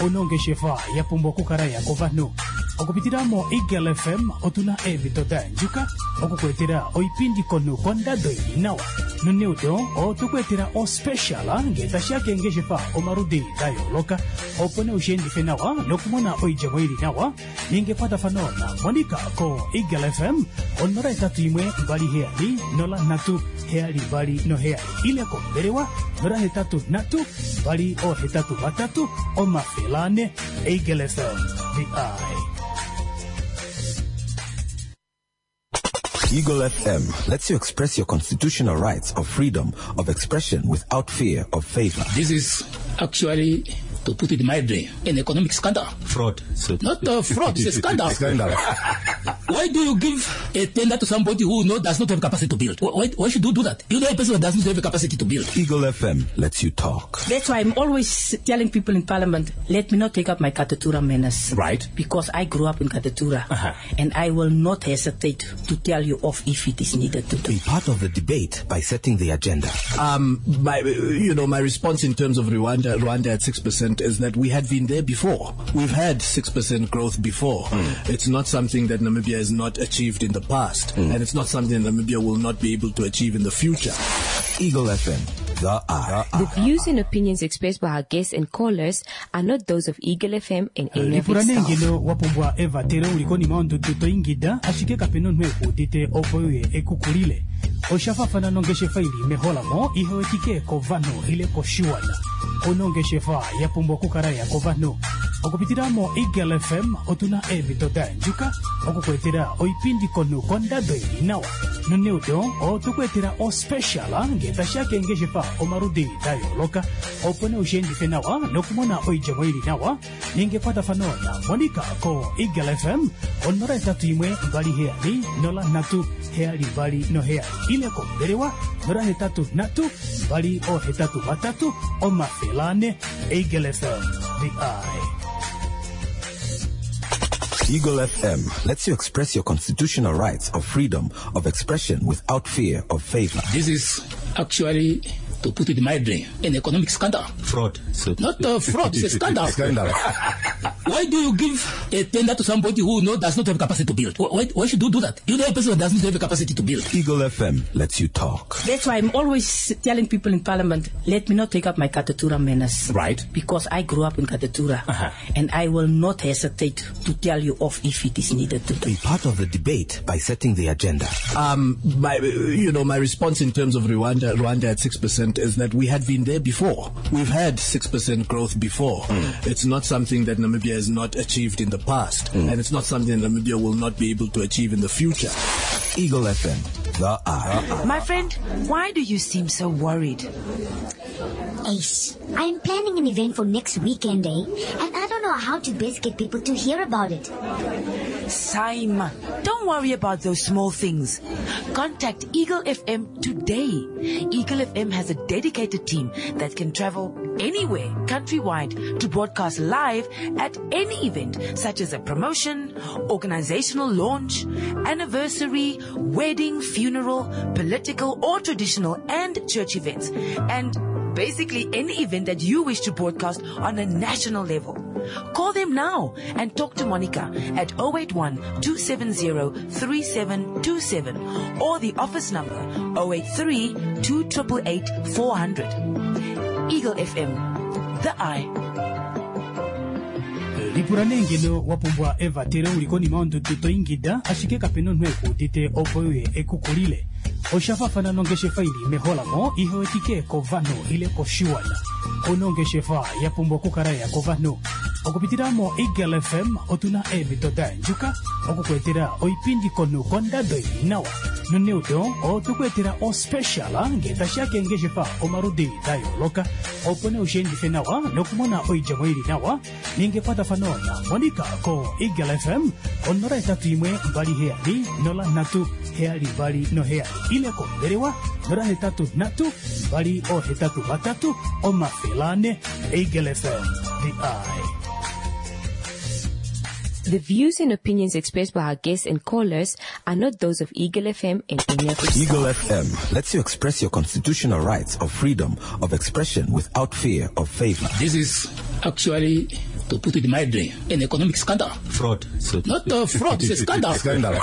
Ono ongeshefa ya pumbwa okukala ya kovanhu. Okupitila mo Eagle F M otuna eemhito da yandjuka okukuetela oipindi komunhu kondado ili nawa. Noneudo otukuetela ospecial ngee tashiya keengeshefa omaludi da yooloka opo nee ushiendife nawa nokumona oidjemo ili nawa ninga ekwatafano na Monica ko Eagle F M onola etatu imwe mbali heyali nola nhatu heyali mbali noheyali ile kombelewa nola hetatu nhatu mbali ohetatu vatatu omafele ane. Eagle F M, the eye. Eagle F M lets you express your constitutional rights of freedom of expression without fear of favor. This is actually, to put it mildly, an economic scandal. Fraud. So Not a fraud, it's a scandal. Scandal. Why do you give a tender to somebody who no, does not have capacity to build? Why, why should you do that? You know a person who does not have a capacity to build. Eagle F M lets you talk. That's why I'm always telling people in Parliament, let me not take up my Katutura manners. Right. Because I grew up in Katutura. Uh-huh. And I will not hesitate to tell you off if it is needed to do. Be part of the debate by setting the agenda. Um, my, you know, my response in terms of Rwanda, Rwanda at six percent is that we had been there before. We've had six percent growth before. Mm. It's not something that Namibia has not achieved in the past, mm. and it's not something that Namibia will not be able to achieve in the future. Eagle F M, the eye. The views and opinions expressed by our guests and callers are not those of Eagle F M and any of Lipula its nee staff. ngeno wa pumbwa evatelo uli konima yondudu to ingida, ashike kapena omunhu ekuudite opo uye ekukulile. Osha faafana nongeshefa ili meholamo ihewetike kovanhu ile koshiwana. Onongeshefa ya pumbwa okukala ya kovanhu. Okupitila mo Eagle F M otuna eemhito da yandjuka okukwetela oipindi konhu kondado ili nawa. Noneudo otukwetela ospecial ngee tashiya keengeshefa omaludi da yooloka, opo nee ushiendife nawa nokumona oidjemo ili nawa. Ninga ekwatafano na Monica ko Eagle F M onola etatu imwe mbali heyali nola nhatu heyali mbali noheyali ile kombelewa nola hetatu nhatu mbali ohetatu vatatu omafele ane. Eagle F M, the eye. Eagle F M lets you express your constitutional rights of freedom of expression without fear of favor. This is actually, to put it mildly, an economic scandal. Fraud. So Not a fraud, it's a scandal. Scandal. Why do you give a tender to somebody who no, does not have capacity to build? Why, why should you do that? You know a person who does not have a capacity to build. Eagle F M lets you talk. That's why I'm always telling people in Parliament, let me not take up my Katutura manners. Right. Because I grew up in Katutura. Uh-huh. And I will not hesitate to tell you off if it is needed to do. Be part of the debate by setting the agenda. Um, my, you know, my response in terms of Rwanda, Rwanda at six percent is that we had been there before. We've had six percent growth before. Mm. It's not something that Namibia has not achieved in the past, mm. and it's not something that Namibia will not be able to achieve in the future. Eagle F M, the eye. My friend, why do you seem so worried? Ace, I'm planning an event for next weekend, eh? And I don't know how to best get people to hear about it. Saima, don't worry about those small things. Contact Eagle F M today. Eagle F M has a dedicated team that can travel anywhere countrywide to broadcast live at any event, such as a promotion, organizational launch, anniversary, wedding, funeral, political or traditional and church events, and basically any event that you wish to broadcast on a national level. Call them now and talk to Monica at oh eight one, two seven zero, three seven two seven or the office number oh eight three, two triple eight, four hundred. Eagle F M, the eye. Lipula nee ngeno wa pumbwa evatelo uli konima yondudu to ingida, ashike kapena omunhu ekuudite opo uye ekukulile. Osha faafana nongeshefa ili meholamo ihewetike kovanhu ile koshiwana. Onongeshefa ya pumbwa okukala ya kovanhu. Okupitila mo Eagle F M otuna eemhito da yandjuka okukwetela oipindi konhu kondado ili nawa. Noneudo otukwetela ospecial ngee tashiya keengeshefa omaludi da yooloka, opo nee ushiendife nawa nokumona oidjemo ili nawa. Ninga ekwatafano na Monica ko Eagle F M onola etatu imwe mbali heyali nola nhatu heyali mbali noheyali ile kombelewa nola hetatu nhatu mbali ohetatu vatatu omafele ane. Eagle F M, the eye. The views and opinions expressed by our guests and callers are not those of Eagle F M and any of its Eagle staff. F M lets you express your constitutional rights of freedom of expression without fear of favor. This is actually, to put it mildly, an economic scandal. Fraud. So Not a fraud, it's a scandal. Scandal.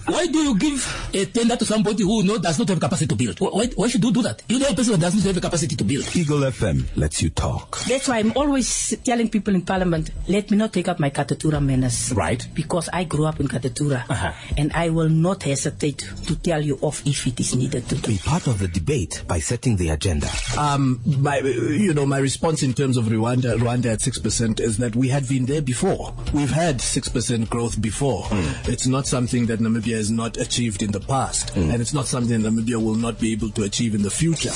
Why do you give a tender to somebody who no, does not have capacity to build? Why, why should you do that? You know a person who does not have a capacity to build. Eagle F M lets you talk. That's why I'm always telling people in Parliament, let me not take up my Katutura manners. Right. Because I grew up in Katutura. Uh-huh. And I will not hesitate to tell you off if it is needed to do. Be part of the debate by setting the agenda. Um, my, you know, my response in terms of Rwanda, Rwanda at six percent is that we had been there before. We've had six percent growth before. Mm. It's not something that Namibia has not achieved in the past, mm. and it's not something that Namibia will not be able to achieve in the future.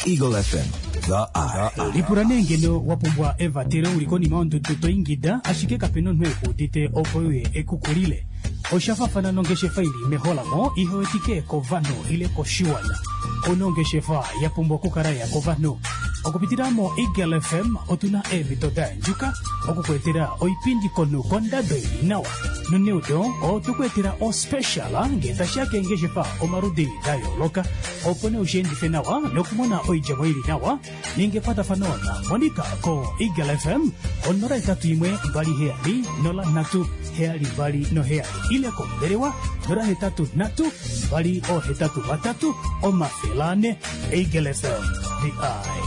Eagle F M, the Eye. Lipula nee ngeno wa pumbwa evatelo uli konima yondudu to ingida ashike kapena omunhu ekuudite opo uye ekukulile. Osha faafana nongeshefa ili meholamo ihewetike kovanhu ile koshiwana. Onongeshefa ya pumbwa okukala ya kovanhu. Okupitila mo Eagle F M otuna eemhito da yandjuka okukuetela oipindi konu kondado ili nawa. Noneudo otukuetela ospecial ngee tashiya keengeshefa omaludi da yooloka opo nee ushiendife nawa nokumona oidjemo ili nawa ninge ekwatafano na Monica ko Eagle F M onola etatu imwe mbali heyali nola nhatu heyali mbali noheyali ile kombelewa nola hetatu nhatu mbali ohetatu vatatu omafele ane. Eagle F M, the Eye.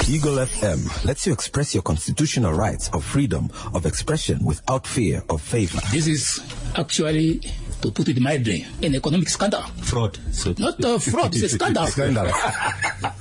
Eagle F M lets you express your constitutional rights of freedom of expression without fear of favor. This is actually, to put it mildly, an economic scandal. Fraud. So Not a fraud, it's a scandal. Scandal.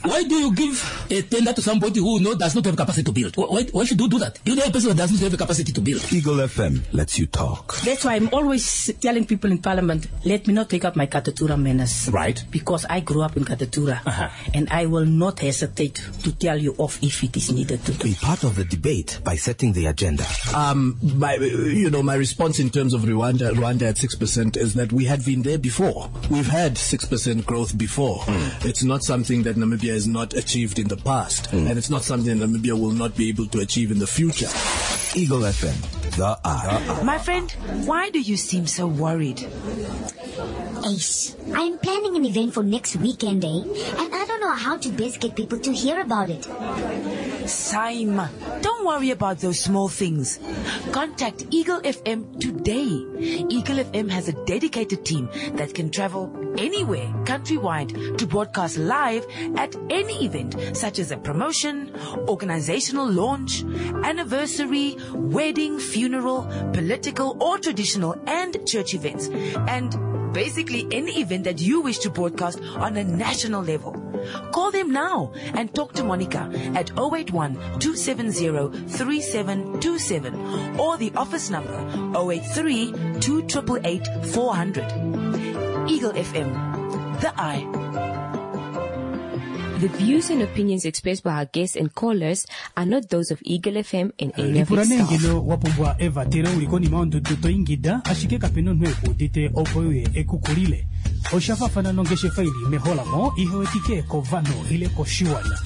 Why do you give a tender to somebody who no, does not have capacity to build? Why, why should you do that? You know a person who does not have the capacity to build. Eagle F M lets you talk. That's why I'm always telling people in Parliament, let me not take up my Katutura manners. Right. Because I grew up in Katutura. Uh-huh. And I will not hesitate to tell you off if it is needed to do. Be part of the debate by setting the agenda. Um, my, you know, my response in terms of Rwanda, Rwanda at six percent is that we had been there before. We've had six percent growth before. Mm. It's not something that Namibia has not achieved in the past, mm. and it's not something that Namibia will not be able to achieve in the future. Eagle F M, the Eye. My friend, why do you seem so worried? Ace, I'm planning an event for next weekend, eh? And I don't know how to best get people to hear about it. Saima, don't worry about those small things. Contact Eagle F M today. Eagle F M has a dedicated team that can travel anywhere countrywide to broadcast live at any event, such as a promotion, organizational launch, anniversary, wedding, funeral, political or traditional and church events, and basically any event that you wish to broadcast on a national level. Call them now and talk to Monica at oh eight one, two seven zero, three seven two seven or the office number oh eight three, two eight eight, four hundred. Eagle F M, the Eye. The views and opinions expressed by our guests and callers are not those of Eagle F M and any of its Lipula nee staff. ngeno wa pumbwa evatelo uli konima yondudu to ingida ashike kapena omunhu ekuudite opo uye ekukulile. Osha faafana nongeshefa ili meholamo ihewetike kovanhu ile koshiwana.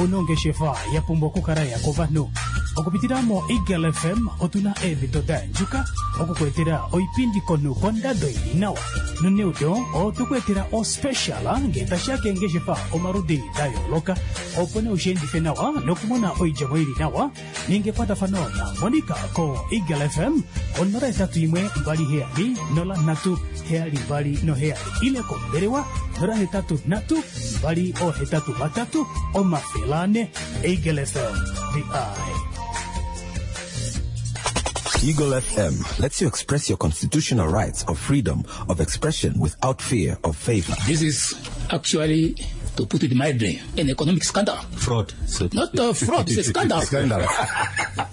Onongeshefa ya pumbwa okukala ya kovanhu. Okupitila mo Eagle F M otuna eemhito da yandjuka okukuetela oipindi konu kondado ili nawa. Noneudo otukuetela ospecial ngee tashiya keengeshefa omaludi da yooloka opo nee ushiendife nawa nokumona oidjemo ili nawa ninge ekwatafano na Monica ko Eagle F M onola etatu imwe mbali heyali nola nhatu heyali mbali noheyali ile kombelewa nola hetatu nhatu mbali ohetatu vatatu omafele ane. Eagle F M, the Eye. Eagle F M lets you express your constitutional rights of freedom of expression without fear of favor. This is actually, to put it mildly, an economic scandal. Fraud. So Not a fraud, it's a scandal. Scandal.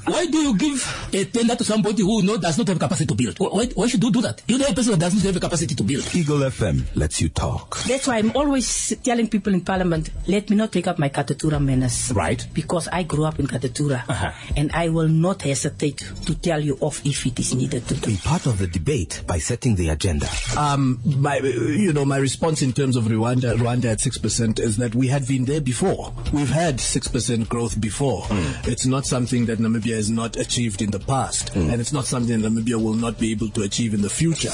Why do you give a tender to somebody who no, does not have capacity to build? Why, why should you do that? You know a person who does not have the capacity to build. Eagle F M lets you talk. That's why I'm always telling people in Parliament, let me not take up my Katutura manners. Right. Because I grew up in Katutura. Uh-huh. And I will not hesitate to tell you off if it is needed to do. Be part of the debate by setting the agenda. Um, my, you know, my response in terms of Rwanda, Rwanda at six percent is that we had been there before. We've had six percent growth before. Mm. It's not something that Namibia has not achieved in the past, mm. and it's not something that Namibia will not be able to achieve in the future.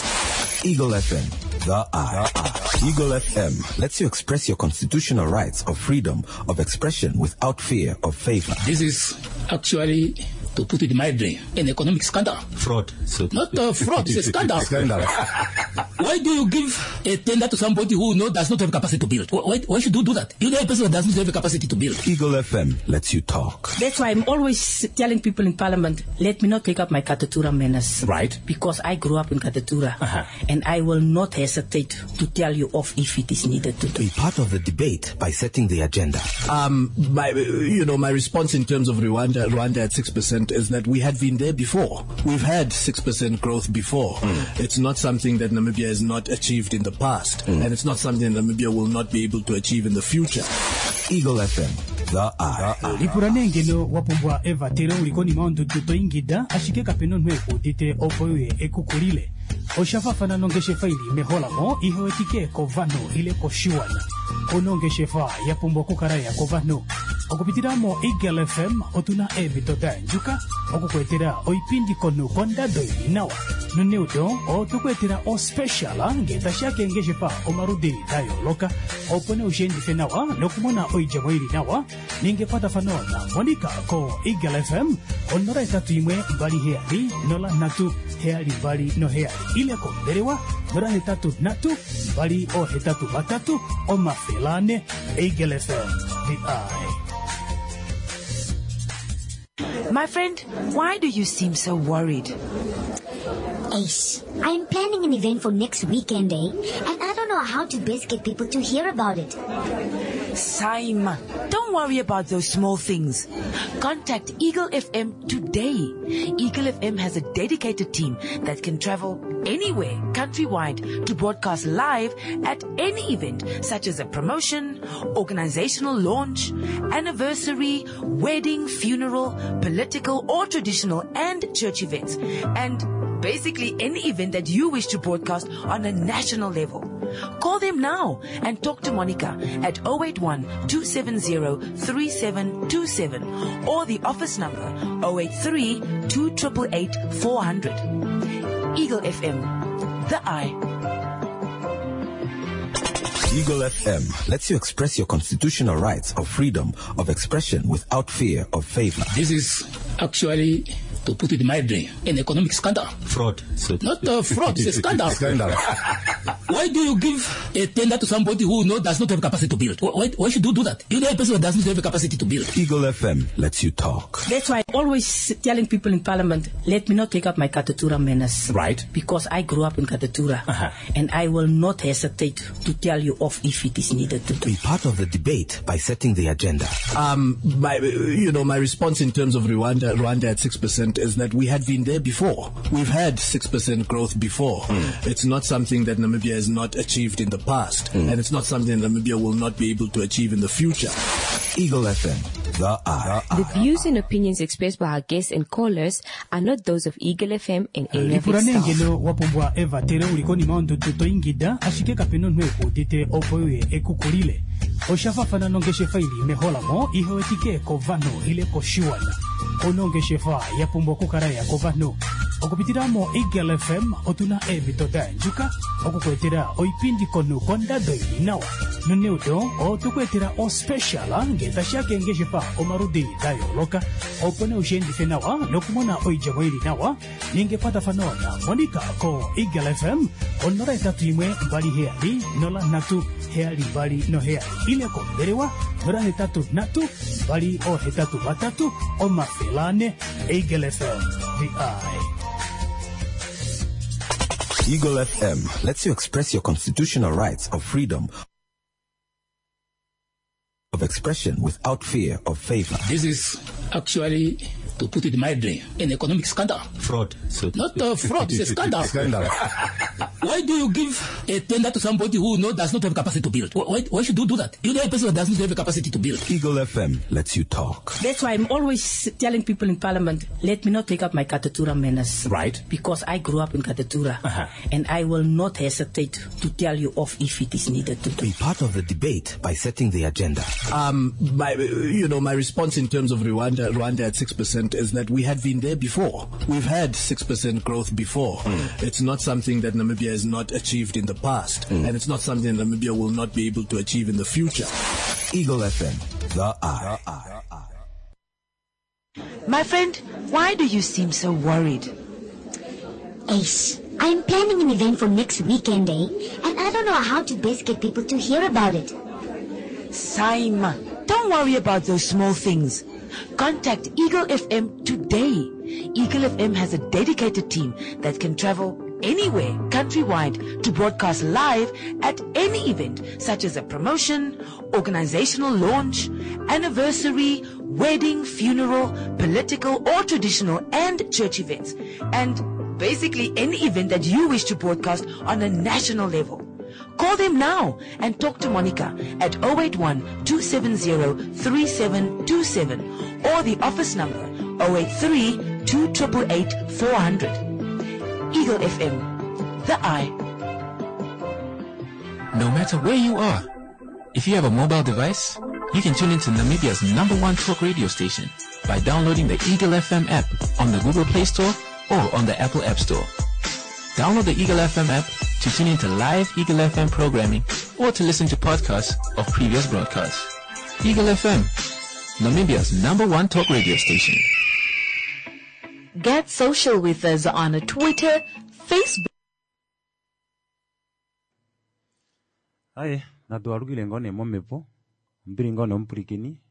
Eagle F M, the Eye. Eagle F M lets you express your constitutional rights of freedom of expression without fear of favor. This is actually, to put it mildly, an economic scandal. Fraud. So Not a fraud, it's a scandal. Scandal. Why do you give a tender to somebody who no, does not have capacity to build? Why, why should you do that? You know a person who does not have the capacity to build. Eagle F M lets you talk. That's why I'm always telling people in Parliament, let me not take up my Katutura manners. Right. Because I grew up in Katutura. Uh-huh. And I will not hesitate to tell you off if it is needed to do. Be part of the debate by setting the agenda. Um, my, you know, my response in terms of Rwanda, Rwanda at six percent percent is that we had been there before. We've had six percent growth before. Mm. It's not something that Namibia has not achieved in the past, mm. and it's not something that Namibia will not be able to achieve in the future. Eagle F M, the Eye. Lipula nee ngeno wa pumbwa evatelo uli konima yondudu to ingida ashike kapena omunhu ekuudite opo uye ekukulile. Osha faafana nongeshefa ili meholamo ihewetike kovanhu ile koshiwana. Ono ongeshefa ya pumbwa okukala ya kovanhu. Okupitila mo Eagle F M otuna eemhito da yandjuka okukuetela oipindi komunhu kondado ili nawa. Noneudo otokuetela ospecial ngee tashiya keengeshefa omaludi da yooloka opo nee ushiendife nawa nokumona oidjemo ili nawa ninga ekwatafano na Monica ko Eagle F M onola etatu imwe mbali heyali nola nhatu heyali mbali noheyali ile kombelewa nola hetatu nhatu mbali ohetatu vatatu omafele ane. Eagle F M, the Eye. My friend, why do you seem so worried? Ace, I'm planning an event for next weekend, eh? And I don't know how to best get people to hear about it. Saima, don't worry about those small things. Contact Eagle F M today. Eagle F M has a dedicated team that can travel anywhere, countrywide, to broadcast live at any event, such as a promotion, organizational launch, anniversary, wedding, funeral, political or traditional and church events, and basically any event that you wish to broadcast on a national level. Call them now and talk to Monica at oh eight one, two seven zero, three seven two seven or the office number oh eight three, two triple eight, four hundred. Eagle F M, the Eye. Eagle F M lets you express your constitutional rights of freedom of expression without fear of favor. This is actually, to put it mildly, an economic scandal. Fraud. So Not a fraud, it's a scandal. Scandal. Why do you give a tender to somebody who no, does not have capacity to build? Why, why should you do that? You know a person who does not have a capacity to build. Eagle F M lets you talk. That's why I'm always telling people in Parliament, let me not take up my Katutura manners. Right. Because I grew up in Katutura. Uh-huh. And I will not hesitate to tell you off if it is needed to do. Be part of the debate by setting the agenda. Um, my, you know, my response in terms of Rwanda, Rwanda at six percent is that we had been there before. We've had six percent growth before. Mm. It's not something that Namibia has not achieved in the past, mm. and it's not something that Namibia will not be able to achieve in the future. Eagle F M, the Eye. The views and opinions expressed by our guests and callers are not those of Eagle F M and any of its Lipula nee staff. ngeno wa pumbwa evatelo uli konima yondudu to ingida ashike kapena omunhu ekuudite opo uye ekukulile. Osha faafana nongeshefa ili meholamo ihewetike kovanhu ile koshiwana. Ono ongeshefa ya pumbwa okukala ya kovanhu. Okupitila mo Eagle F M otuna eemhito da yandjuka okukuetela oipindi komunhu kondado ili nawa. Noneudo otokuetela ospecial ngee tashiya keengeshefa omaludi da yooloka opo nee ushiendife nawa nokumona oidjemo ili nawa ninga ekwatafano na Monica ko Eagle F M onola etatu imwe mbali heyali nola nhatu heyali mbali noheyali ile kombelewa nola hetatu nhatu mbali ohetatu vatatu omafele ane. Eagle F M, the Eye. Eagle F M lets you express your constitutional rights of freedom of expression without fear of favor. This is actually, to put it mildly, an economic scandal. Fraud. So Not a fraud, it's a scandal. Scandal. Why do you give a tender to somebody who no, does not have capacity to build? Why, why should you do that? You know a person who does not have a capacity to build. Eagle F M lets you talk. That's why I'm always telling people in Parliament, let me not take up my Katutura manners. Right. Because I grew up in Katutura. Uh-huh. And I will not hesitate to tell you off if it is needed to do. Be part of the debate by setting the agenda. Um, my, you know, my response in terms of Rwanda, Rwanda at six percent is that we had been there before. We've had six percent growth before. Mm. It's not something that Namibia has not achieved in the past, mm. and it's not something that Namibia will not be able to achieve in the future. Eagle F M, the Eye. My friend, why do you seem so worried? Ace, I'm planning an event for next weekend, eh? And I don't know how to best get people to hear about it. Saima, don't worry about those small things. Contact Eagle F M today. Eagle F M has a dedicated team that can travel anywhere countrywide to broadcast live at any event such as a promotion, organizational launch, anniversary, wedding, funeral, political or traditional and church events, and basically any event that you wish to broadcast on a national level. Call them now and talk to Monica at oh eight one, two seven zero, three seven two seven or the office number oh eight three, two triple eight, four hundred. Eagle F M, the eye. No matter where you are, if you have a mobile device, you can tune into Namibia's number one talk radio station by downloading the Eagle F M app on the Google Play Store or on the Apple App Store. Download the Eagle F M app to tune into live Eagle F M programming or to listen to podcasts of previous broadcasts. Eagle F M, Namibia's number one talk radio station. Get social with us on Twitter, Facebook. Aye, natualukile ngone mombepo, ombili ngone omupulikini,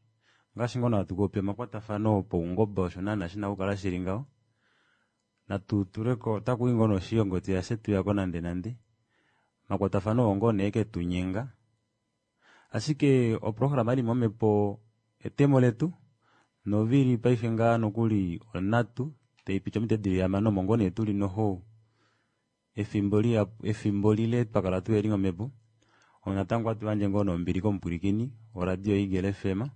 ngaashi ngono hatu popi omakwatafano paungomba osho naana shina okukala shili ngaho. Natu tuleko, otaku i ngono oshiyongoti yashe tuyako nande nande. Makwatafano ongo nee ke tu nyenga. Ashike oprograma ili mombepo etemo letu, novili paife ngaa nokuli onatu, teipicha omite dili hamano omo ngoo nee tuli noho efimbo liya, efimbo lile twakala tuyeli mombepo. Onatango atu yandje ngoo nombili komupwilikini oradio Eagle F M.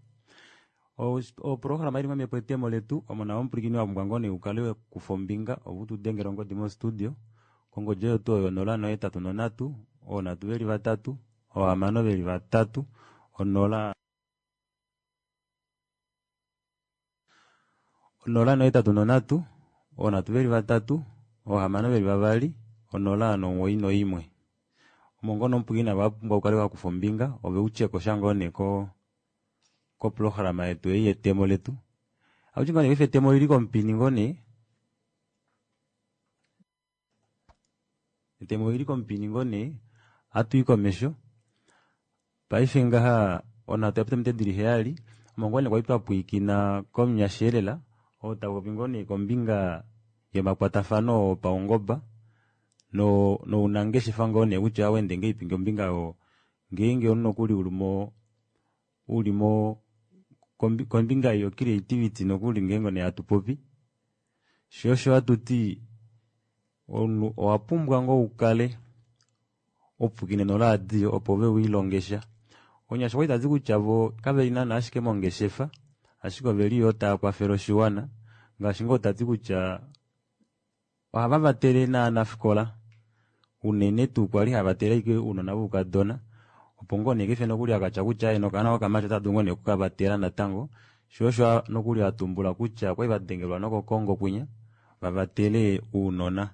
Oprograma ili mombepo etemo letu, omo nawo omupwilikini wa pumbwa ngoo nee ukale kufa ombinga, opo tu dengele ongodi mostudio. Kongodi oyo tuu oyo onola nohetatu nonhatu, oonhatu veli vatatu, oohamano veli vatatu, onola onola nohetatu nonhatu, oonhatu veli vatatu, oohamano veli vavali, onola nomuwoi noimwe. Omo ngoo nomupwilikini navo wa pumbwa ukale wa kufa ombinga, ove utyeko sha ngoo nee ko-, koprograma yetu ei yetemo letu. Auti ngoo nee paife etemo lili komupini ngoo nee. Etemo lili komupini ngoo nee, atu i komesho. Paife ngaha, onhatu ya pita omite dili heyali, omo ngoo nee kwali twa pwiikina komunyasheelela, oo ta popi ngoo nee kombinga yomakwatafano opaungomba, no-, nounangeshefa ngoo nee kutya wende ngeipi kombinga yo, ngeenge omunhu nokuli uli mo, uli mo, kombi-, kombinga yo creativity nokuli ngeenge nee hatu popi. Sho osho hatu ti, omunhu owa pumbwa ngoo ukale opukine noradio opo ove wiilongesha. Onyasha okwa tati kutya vo kave li naana ashike mongeshefa, ashike ove li yo tava kwafele oshiwana, ngaashi ngoo tati kutya ohava vatele naanafikola, unene tuu kwali hava vatele ashike ounona voukadona, opo ngoo nee kefe nokuli akatya kutya ye nokaana kokamati ota dulu ngoo nee okukavatela natango. Sho osho nokuli a tumbula kutya okwali va dengelwa nokoKongo kwinya, va vatele ounona.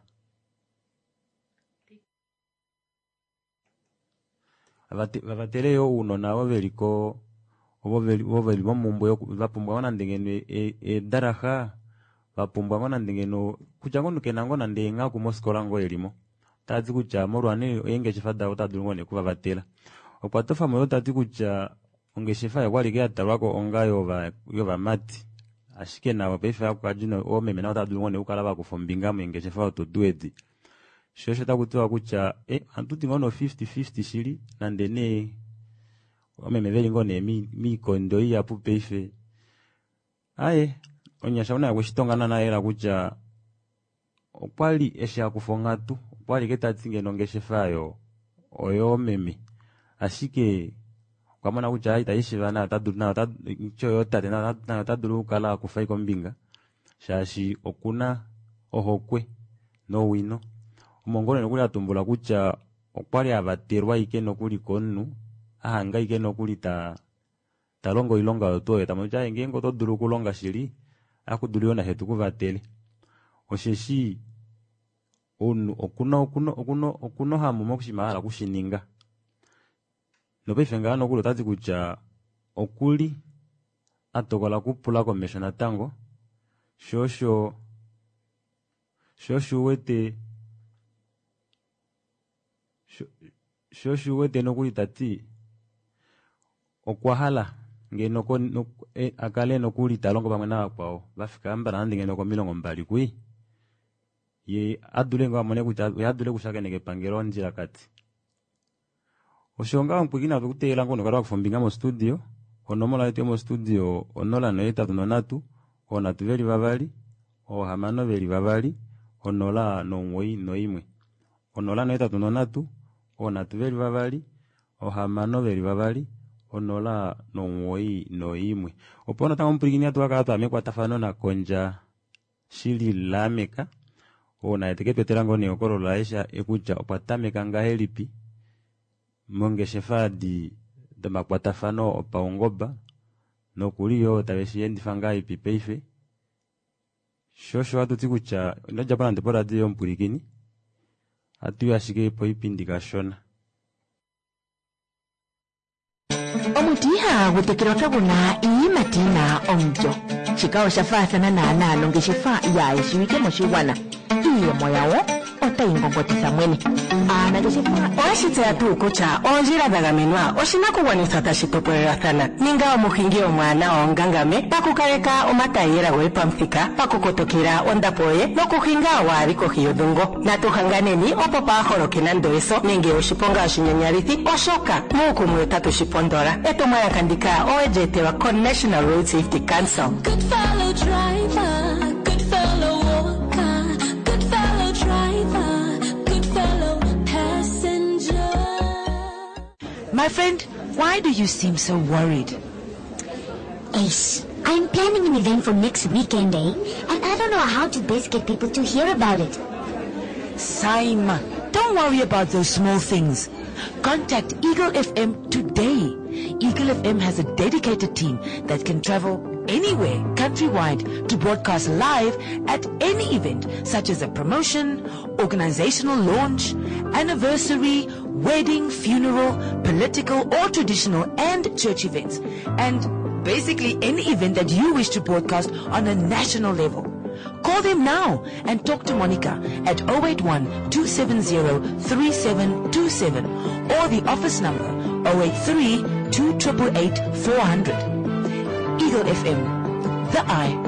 Vavate-, vavatele yo ounona ovo veli ko, ovo veli, ovo veli momumbwe yoku, va pumbwa ngoo nande ngeno e-, e-, eedaraxa, va pumbwa ngoo nande ngeno, kutya ngoo kena ngoo nande eenghaku mofikola ngoo elimo. Tati kutya molwa nee eengeshefa davo otadi dulu ngoo nee okuvavatela. Okwa tofa mo yo tati kutya ongeshefa oyo kwali ya talwako onga yova-, yovamati. Ashike navo paife akukadji no-, oomeme navo otava dulu ngoo nee okukala va kufa ombinga meengeshefa odo tuu edi. Sho osho taku tiwa kutya, eh, ohatu ti ngoo no fifty fifty shili, nande nee oomeme veli ngoo nee mi-, miikondo ihapu paife. Aye, onyasha una kweshitonga naana yela kutya okwali eshi akufa onghatu, okwali ke tati ngeno ongeshefa oyo oyoomeme. Ashike okwa mona kutya ita ishiva nayo ota dulu, nayo ota, ityo yo tate, nayo ota, nayo ota dulu okukala akufa kombinga, shaashi okuna ohokwe nowino. Omongolo nokuli atumbula kutya okwali avatelwa ike nokuli komunhu, ahanga ike nokuli ta, ta longo oilonga oyo tuu oyo, ta mono kutya ngeenge oto dulu okulonga shili, akudulu yo nashe tukuvatele. Osheshi omunhu okuna, okuna, okuna, okuna ohamu mokushinima a hala okushininga. Nopaife ngaha nokuli otati kutya okuli a tokola okupula komesho natango, sho osho, sho osho uwete, sho, sho osho uwete nokuli tati okwa hala ngeno ko, no, e, a kale nokuli ta longo pamwe navakwao, va fika ambala nande ngeno komilongo mbali kui. Ye adule ngoo amone kutya ye adule okushakeneka epangelo ondjilakati. Osho ngaho omupwiikini atu kuteelela ngoo nokukala wakufa ombinga mostudio. Onomola yetu yomostudio onola nohetatu nonhatu, oonhatu veli vavali, oohamano veli vavali, onola nomuwoi noimwe. Onola nohetatu nonhatu, oonhatu veli vavali, ohamano veli vavali, onola nomuwoi noimwe. Opo natango omupwilikini hatu kakala twaya mekwatafano naKondja Shili Lameck, oo naye teke tu etela ngoo nehokololo laye kutya okwa tameka ngahelipi mongeshefa adi domakwatafano opaungoba nokuli yoo tave shi endifa ngahelipi paife. Sho osho hatu ti kutya ino djapo nande poradio yomupwilikini, ohatu i ashike poipindi kashona. Omuti ihagu tekelwa kagu na iiyimati yi na omulyo. Shika osha faathana naanaa nongeshefa yaayeshiwike moshigwana. Iiyemo yawo otayi ngongotitha mwene. Aanangeshefa. Oweshi tseya tuu kutya oondjila dha gamenwa oshinakugwanithwa tashi topolelwathana? Ninga omuhingi omwaanawa onga ngame pakukaleka omataiyela goye pamuthika, pakukotokela ondapo yoye nokuhinga waa li kohi yodhungo. Natu hanganeni opo paa holoke nando eso nenge oshiponga oshinyanyalithi oshoka muukumwe otatu shi pondola. Etumwalaka ndika owe li etelwa koNational Road Safety Council. Good fellow driver, good fellow walker, good fellow driver, good fellow passenger. My friend, why do you seem so worried? Ace, I'm planning an event for next weekend, eh? And I don't know how to best get people to hear about it. Saima, don't worry about those small things. Contact Eagle F M today. Eagle F M has a dedicated team that can travel anywhere countrywide to broadcast live at any event such as a promotion, organizational launch, anniversary, wedding, funeral, political or traditional and church events, and basically any event that you wish to broadcast on a national level. Call them now and talk to Monica at oh eight one, two seven zero, three seven two seven or the office number oh eight three, two triple eight, four hundred. Eagle F M, the eye.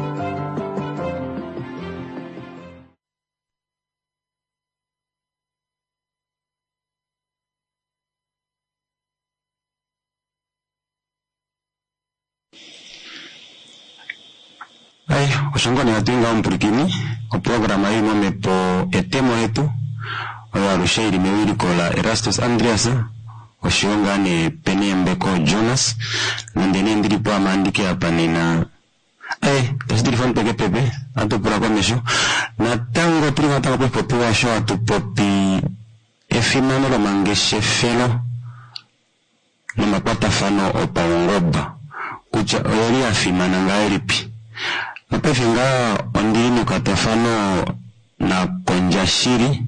Ai, osho ngoo nee hatu i ngaho omupwilikini, oprograma ei momhepo etemo letu, oyo alushe ili mewiliko la Erastus Andreas, oshoyo ngaa nee Peneembeko Jonas, nande nee ndili po ame andike apa nena. Ai, tashi tilifa omutwe kepepe, ohatu pula komesho. Natango otuli natango poshipopiwa osho hatu popi efimano lomangeshefelo nomakwatafano opaungoba, kutya oyeli yafimana ngahelipi. Nopaife ngaa ondili mekwatafano naKondja Shili,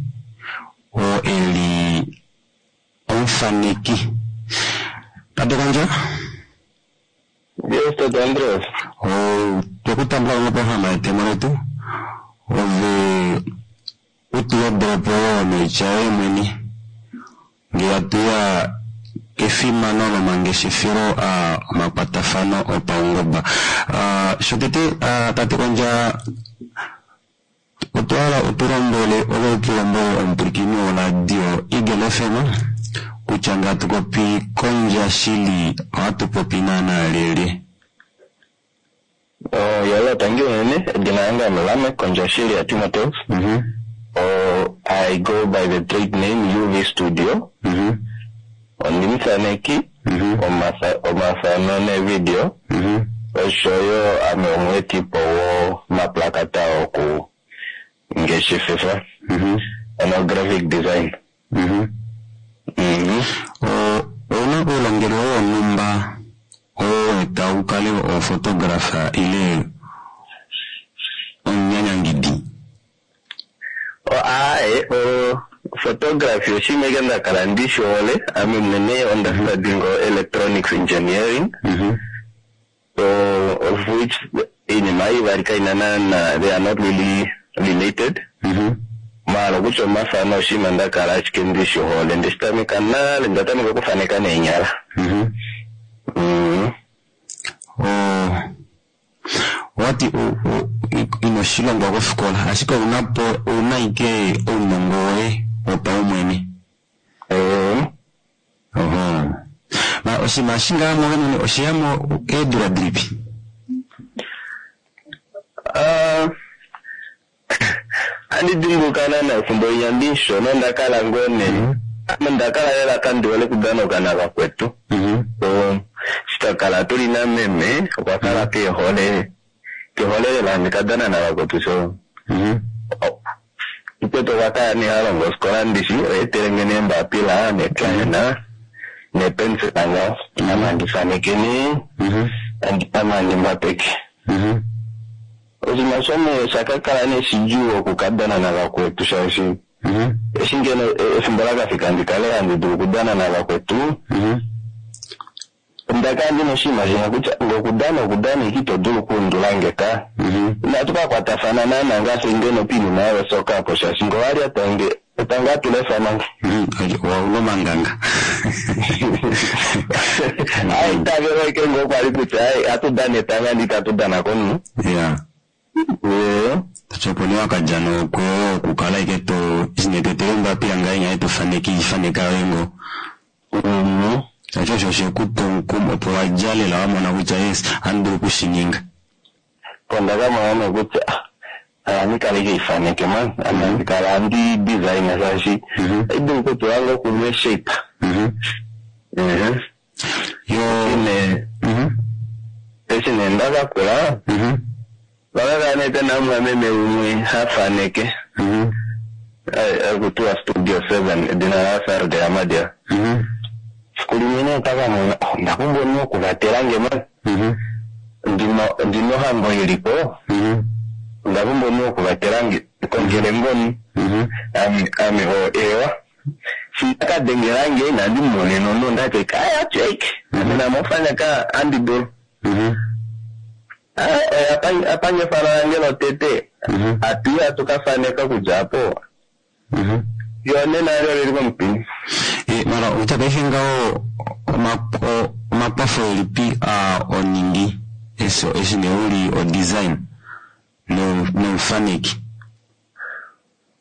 oo eli omufaneki. Tate Kondja? Yes, Tate Andreas. O, twekutambula moprograma yetemo letu, ove utu wedelepo yoo noitya yoye mwene, ngee hatuya kefimano lomangeshefelo a omakwatafano opaungoba. Uh, shotete, uh, Tate Kondja, otwa hala utulombwele, ove utulombwele omupwilikini woradio Eagle F M kutya ngee hatu popi Kondja Shili ohatu popi naana lyelye? Oh, yala, thank you unene. Edina lange ame Lameck Kondja Shili ya Timoteus. Mm-hmm. Oh, I go by the trade name U V Studio. Mm-hmm. Ondimuthaneki, Mm-hmm. omasa-, omafano nevideo. Mm-hmm. Oshoyo ame omweetipo womaplakata oku ngeshefefa. Mm-hmm. Ano graphic design. Mm-hmm. Mm-hmm. O, ouna oulongelwe wonhumba oo weeta ukale ophotographer ile omunyanyangidi? O, aaye, o, photography oshinima eke nda kala ndi shi hole. Ame mwene onda study ngo electronics engineering. Mm-hmm. So, of which iinima ivali kaina naana, they are not really related. Mm-hmm. Maala kutya omafano oshinima nda kala ashike ndi shi hole. Ndeshi tameka nale, nda tameka okufaneka neenyala. Mm-hmm. Mm-hmm. O, wati u-, u-, ino Inoshilongwa kofikola ashike ouna po ouna ike ounongo woye wopaumwene. Oho. Ma oshinima eshi ngaa mwoove mwene osheyamo eedula dilipi? Ah, andi dimbuluka naana efimbo linya ndishona onda kala ngoo nee ame onda kala lela kandi hole okudanoka navakwetu. So eshi twakala tuli nameme okwa kala kehole kehole lela handi kadana navakwetu, so mukwetu okwa kala nee halongo ofikola ndishi oyeetelenge neembapila neecrayon neepensela ngaho, ame handi faneke nee, ame handi mbapeke. Oshinima osho nee oshakakala nee shidjuu okukadana navakwetu shaashi eshi ngeno efimbo lakafika ndikale handi dulu okudana navakwetu, onda kala ndina oshinima shimwe kutya nge okudana okudana ike ito dulu okuundulange ka. Inatu kakwatafana naana ngaashi ngeno poinima yosoka apo shaashi nge owali atange etanga atulefanange. Owaula omanganga. Ai itavelo ike ngoo kwali kutya ai atu dana etanga ndi itatu dana komunhu. Yeah. Tachi opo nee wakadja nokweyo okukala ike to eshi nee toetele ombapila ngahenya tofaneke ifaneka yoye ngoo. Shaashi osho oshekupa omukumo opo wadja lela wamona kutya yes ohandi dulu okushininga. Onda kamona nee kutya ohandi kala ike ifaneke man, ame handi kala handi design shaashi ohaidulu okutula ngoo kumwe shape. Yo eshi nee ndakakula vakakala nee pena omumwameme umwe hafaneke akutiwa Studio Seven, edina la Sarde Amadia. Siku limwe nee ndakamona onda pumbwa omunhu wokuvatelange man, ndina ohambo ilipo, onda pumbwa omunhu wokuvatelange, kongele ngoo ame ame o ewa shi ndakadengelange inandi mumonena omunhu, ondati kaya check ame namofaneka andi dulu. Apange efano lange lotete atuyi atukafaneka okudja apo fiyo nena eli olili komupini. Mara okutya paife ngaho omakwafo elipi oningi eshi nee uli odesign nomufaneki?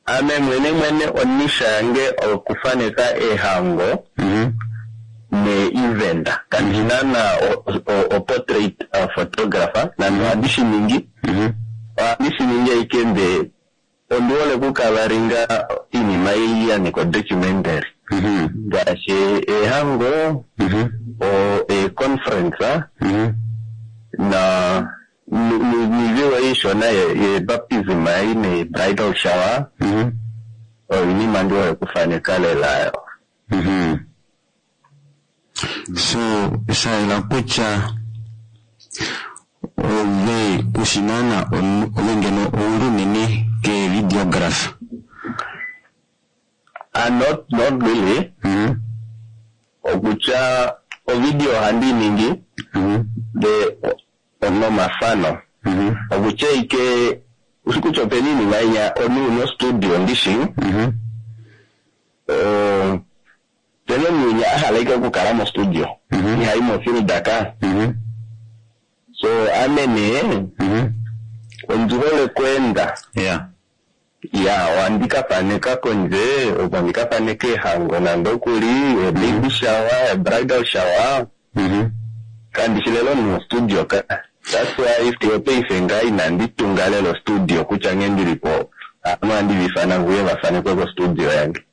Ame mwene mwene onisha yange okufaneka eehango nee-event, kandishi naana o-portrait photographer nande ohandi shiningi, ohandi shiningi ashike ndee ondi hole okukavaringa oinima ei yanika documentary ngaashi eehango, eeconference na niiviwo iishona ye-baptism ei ne-bridal shower, oinima ndi hole okufaneka lela. So shayela kutya ove kushi naana ove ngeno ouli unene ke videographer? Uh, not, not really. Okutya ovideo ohandi ningi de nomafano, okutya ike ushi kutya opena iinima inya omunhu una ostudio ndishi, opena omunhu winya ahala ike okukala mostudio ihayi mofield ka. So ame nee ondi hole okweenda. Ya, ohandi kafaneka kondje, opo handi kafaneka eehango nande okuli ebaby shower, ebridal shower, kandishi lela omunhu wostudio ka. That's why fiyo paife ngaa inandi tunga lela ostudio kutya nghee ndilipo ame ohandi viifana nguye vafanekwe kostudio yange.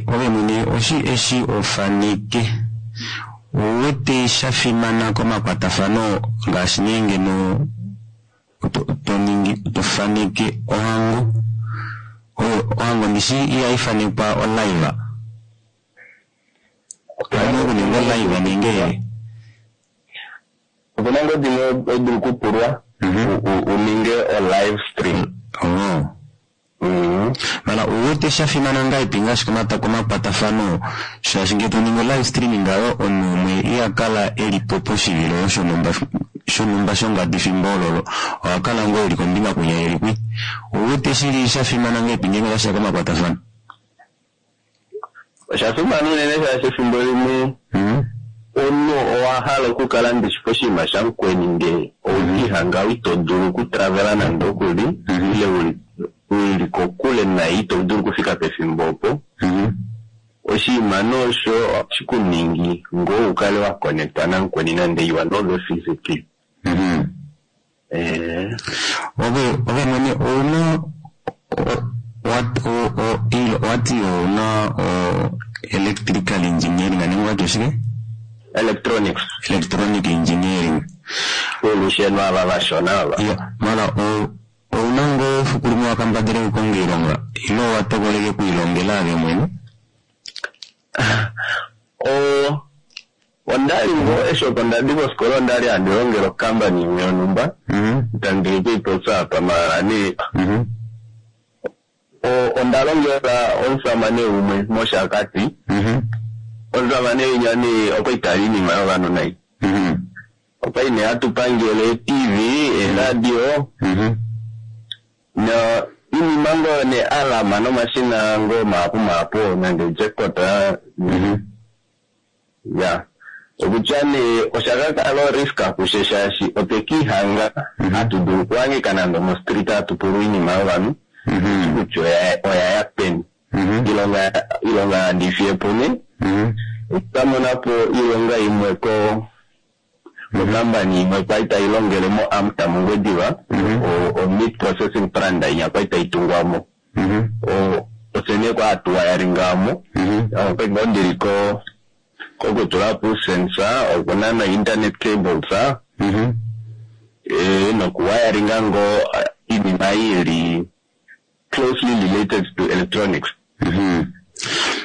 Ove mwene oshi eshi ofaneke ouwete shafimana komakwatafano ngaashi nee ngeno toningi tofaneke ohango, ohango ndishi ihaifanekwa olive, ohaina okuninga olive nenge? Opena ngoo dimwe odulu okupulwa uninge o-live stream. Mara ouwete shafimana ngahelipi ngaashi komakwatafano, shaashi ngee toningi olive streaming ngaho omunhu umwe ihakala elipo poshivilo shonhumba shonhumba shongadi fimbo ololo, ohakala ngoo eli kombinga kwinya eli kwi. Ouwete shili shafimana ngahelipi ngeenge otashiya komakwatafano? Oshafimana unene shaashi efimbo limwe omunhu owahala okukala ndishi poshinima shamukweni ndee Owekihanga ito dulu okutravela nande okuli ile uli uli kokule naye ito dulu okufika pefimbo opo. Oshinima nee osho ohashi kuningi ngoo ukale wa connecta namukweni nande you are not there physically. Eh. Ove ove mwene ouna wati ouna electrical engineering nenge wati oshike? Electronics. Electronic engineering. Olusheno ava vashona ava. Ya, mara ouna ngoo efiku limwe wakambadhale okukonga iilonga ile owa tokoleke okwiilongela ove mwene? O ondali ngoo eshi opo ndadi kofikola ondali handi longele okampani imwe yonhumba itandi kuipopya apa maala nee onda longela omusamane umwe mOshakati. Omusamane winya nee okwali tali iinima yovanhu nai. Okwali nee hatupangele ee-T V, eeradio no iinima ngoo nee alarm nomashina ngoo mahapu mahapu nande jackpot. Ya, okutya nee osha kakala orisk kushe shaashi otwe kiihanga hatu dulu okuhangika nande omostreet hatu pulwa iinima yovanhu kutya oya ya peni. Ilonga ilonga handi fiyepo nee otwamonapo iilonga imwe ko kokampani imwe kwali tailongele mo AMTA mOngwediva, o meat processing plant inya kwali taitungwamo. Ofye nee kwali hatu wayaringamo, okwali ngoo ndili ko kokutulapo uusensa, okunana internet cables, eh nokuwayaringa ngoo iinima ili closely related to electronics.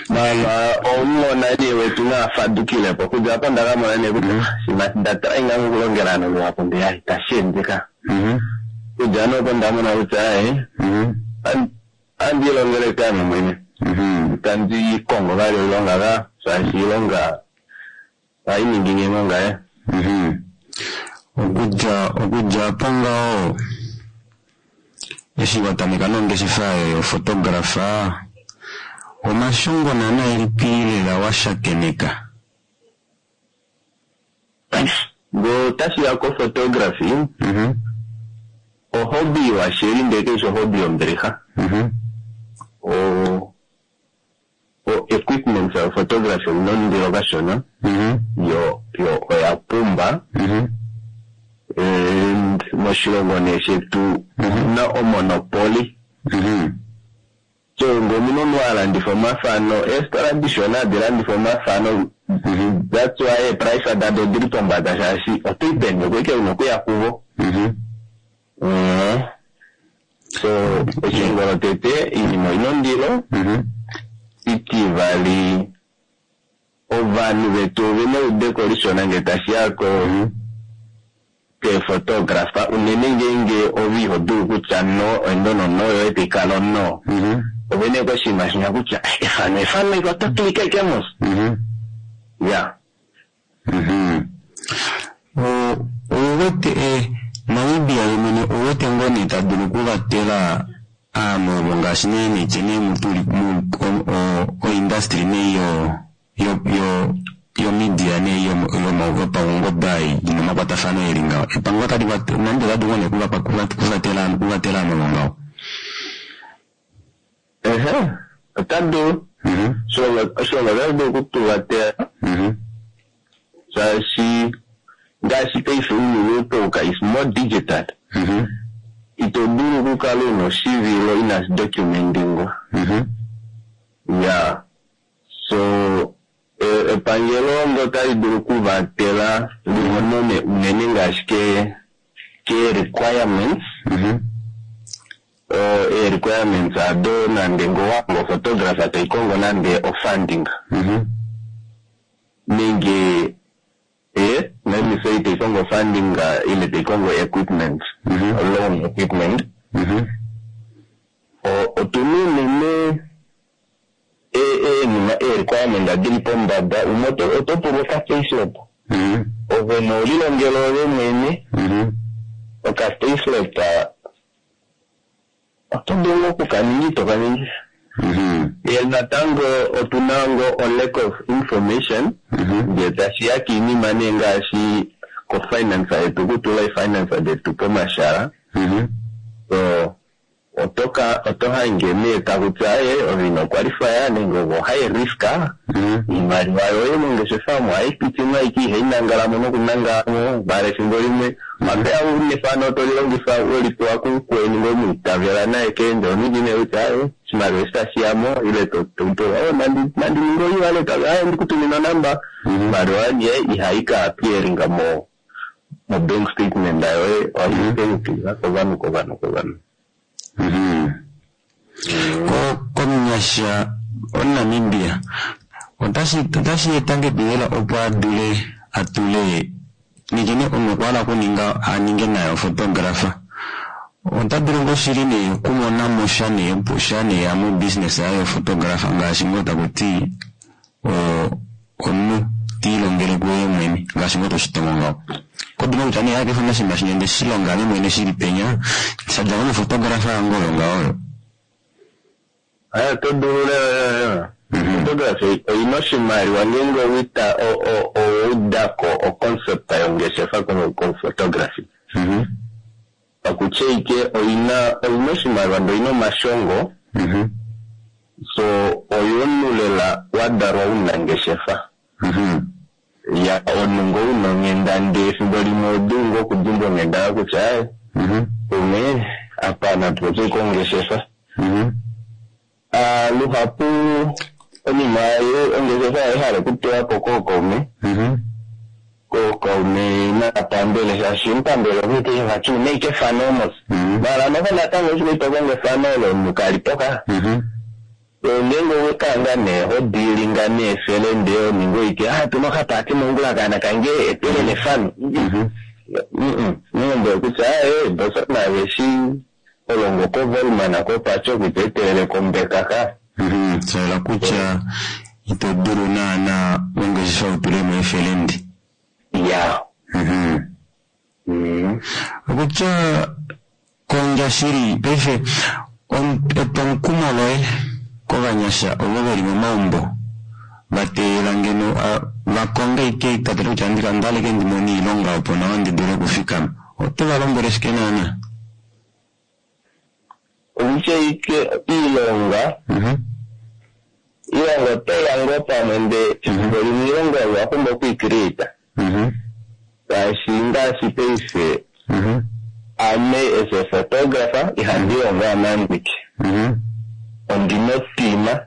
Mala omunona nee wetu naafadukilepo okudja apo ndakamona nee kutya shima ndatry ngaa okulongela ovanhu luhapu ndee itashi ende ka. Okudja nee opo ndamona kutya aaye ohandi ilongele ame mwene. Itandi kongo vali oilonga ka shaashi oilonga ohayi ningi nghee ngaye. Okudja okudja apo ngaho eshi watameka nongeshefa yophotographer omashongo naana elipi lela washakeneka? Ngoo otashiya ko photography, ohobby washili ndee kaifi ohobby yombilixa. O o equipment yo photography oyina ondilo kashona, yo yo oya pumba. And moshilongo nee shetu omuna omonopoly. So ngee omuna omunhu alandifa omafano, eefitola dishona hadi landifa omafano, that's why eeprice dado odili pombada shaashi otoyi peni oko ashike una okuya kuvo. So eshongo lotete oinima oyina ondilo, itivali ovanhu vetu ovena eudeko lishona ngee tashiya ko keephotographer unene ngeenge ove ihodulu kutya no endono no yoye taikala ono. Ovena ashike oshinima shinya kutya efano efano ike oto click ashike mos. Ya. Ouwete Namibia yemwene ouwete ngoo nee tadulu okuvatela ovanhu ovo ngaashi nee netye nee mutuli oindustry nee yo yo yo media nee yopaungoba ina omakwatafano eli ngaho epangelo otali Namibia ota dulu ngoo nee okuvatela okuvatela ovanhu ovo ngaho? Ehe, ota dulu. Oshilongo otashi dulu okutuvatela shaashi ngaashi paife ounyuni outouka is more digital. Ito dulu okukala una oshivilo inashi documentingwa. Ya, so epangelo ngee otali dulu okuvatela limone unene ngaashi ke ke requirements, ee requirements ado nande ngee owakongo photographer taikongo nande o funding nenge eh let me say taikongo funding ile taikongo equipment, loan equipment. Otuna unene eenima ee requirement dili pombada. Umwe oto pulwa oka payslip, ove nee olilongela ove mwene oka payslip oto dulu okukaninga itokaningi. Ndee natango otuna ngoo o lack of information ngee tashiya kiinima nee ngaashi kofinance yetu okutula ifinance detu pomashala so otoka oto hange nee takutya e ove ino qualifya nenge ove high risk iimaliwa yoye mongeshefa omo ohayi piti mo ashike ihayi nangalamo nokunangalamo mala efimbo limwe mapeya nefano toli longifa welipewa kumukweni ngomwiitavela naye keende oningi nee kutya aye oshimaliwa eshi tashi yamo ile tototoa oh nandi nandi ninge oiwallet aye ndikutumina onamba iimaliwa ye ihayi ka appearinga mo mo bank statement yoye ohayi kovanhu kovanhu kovanhu. Ko komunyasha omuNamibia otashi otashi eta ngepiyela opo adule atule nikene omunhu okwa hala okuninga aninge naye photographer ota dulu ngoo shili nee okumona mo sha nee sha nee ya mo business yaye yo photographer ngaashi ngoo takuti omunhu tiilongele kuye mwene ngaashi ngoo toshitongo ngaho kodula kutya nee ake fana oshinima shino ndeshilonga ame mwene shili penya shadja ngo mophotographer yange oyo ngaho. Aya oto dulu lela photography oyina oshimaliwa ngeenge owita owaudako oconcept yongeshefa kophotography pakutya ike oyina oyina oshimaliwa ndee oyina omashongo so oyo omunhu lela wadalwa unangeshefa ya omunhu ngo una onghenda ndee efimbo limwe odulu ngoo okudimbwa onghenda kutya aye umwe apa natupopye kongeshefa. Luhapu onima ongeshefa ohayi okutewa po kookaume kookaume naapambele shaashi omupambele okuti vati una ashike efano mos mala noho natango eshi tokongo efano olo omunhu kalipo ka ngeenge owekanga nee hodiilinga neefele ndee oninga oike ah tuna okapaati mongula kaana kange etelele efano nilombwele kutya aye bosa naveshi olongo kovolman kopacho kuti etelele kombeka ka. Shaela kutya ito dulu naana ongeshefa utulemo efelendi. Ya. Okutya kondja shili paife etwomukumo loye kovanyasha ovo veli momaumbo vateelela ngeno vakonge ike tatele kutya ndaleke ndimone iilonga opo nawa ndi dule okufikama oto valombwele shike naana? Okutya ike iilonga iilonga otoya ngoo pamwe ndee efimbo limwe iilonga oyo owapumbwa okwiicreata ngaashi ngaashi paife ame as a photographer ihandi longo ame andike ondina otima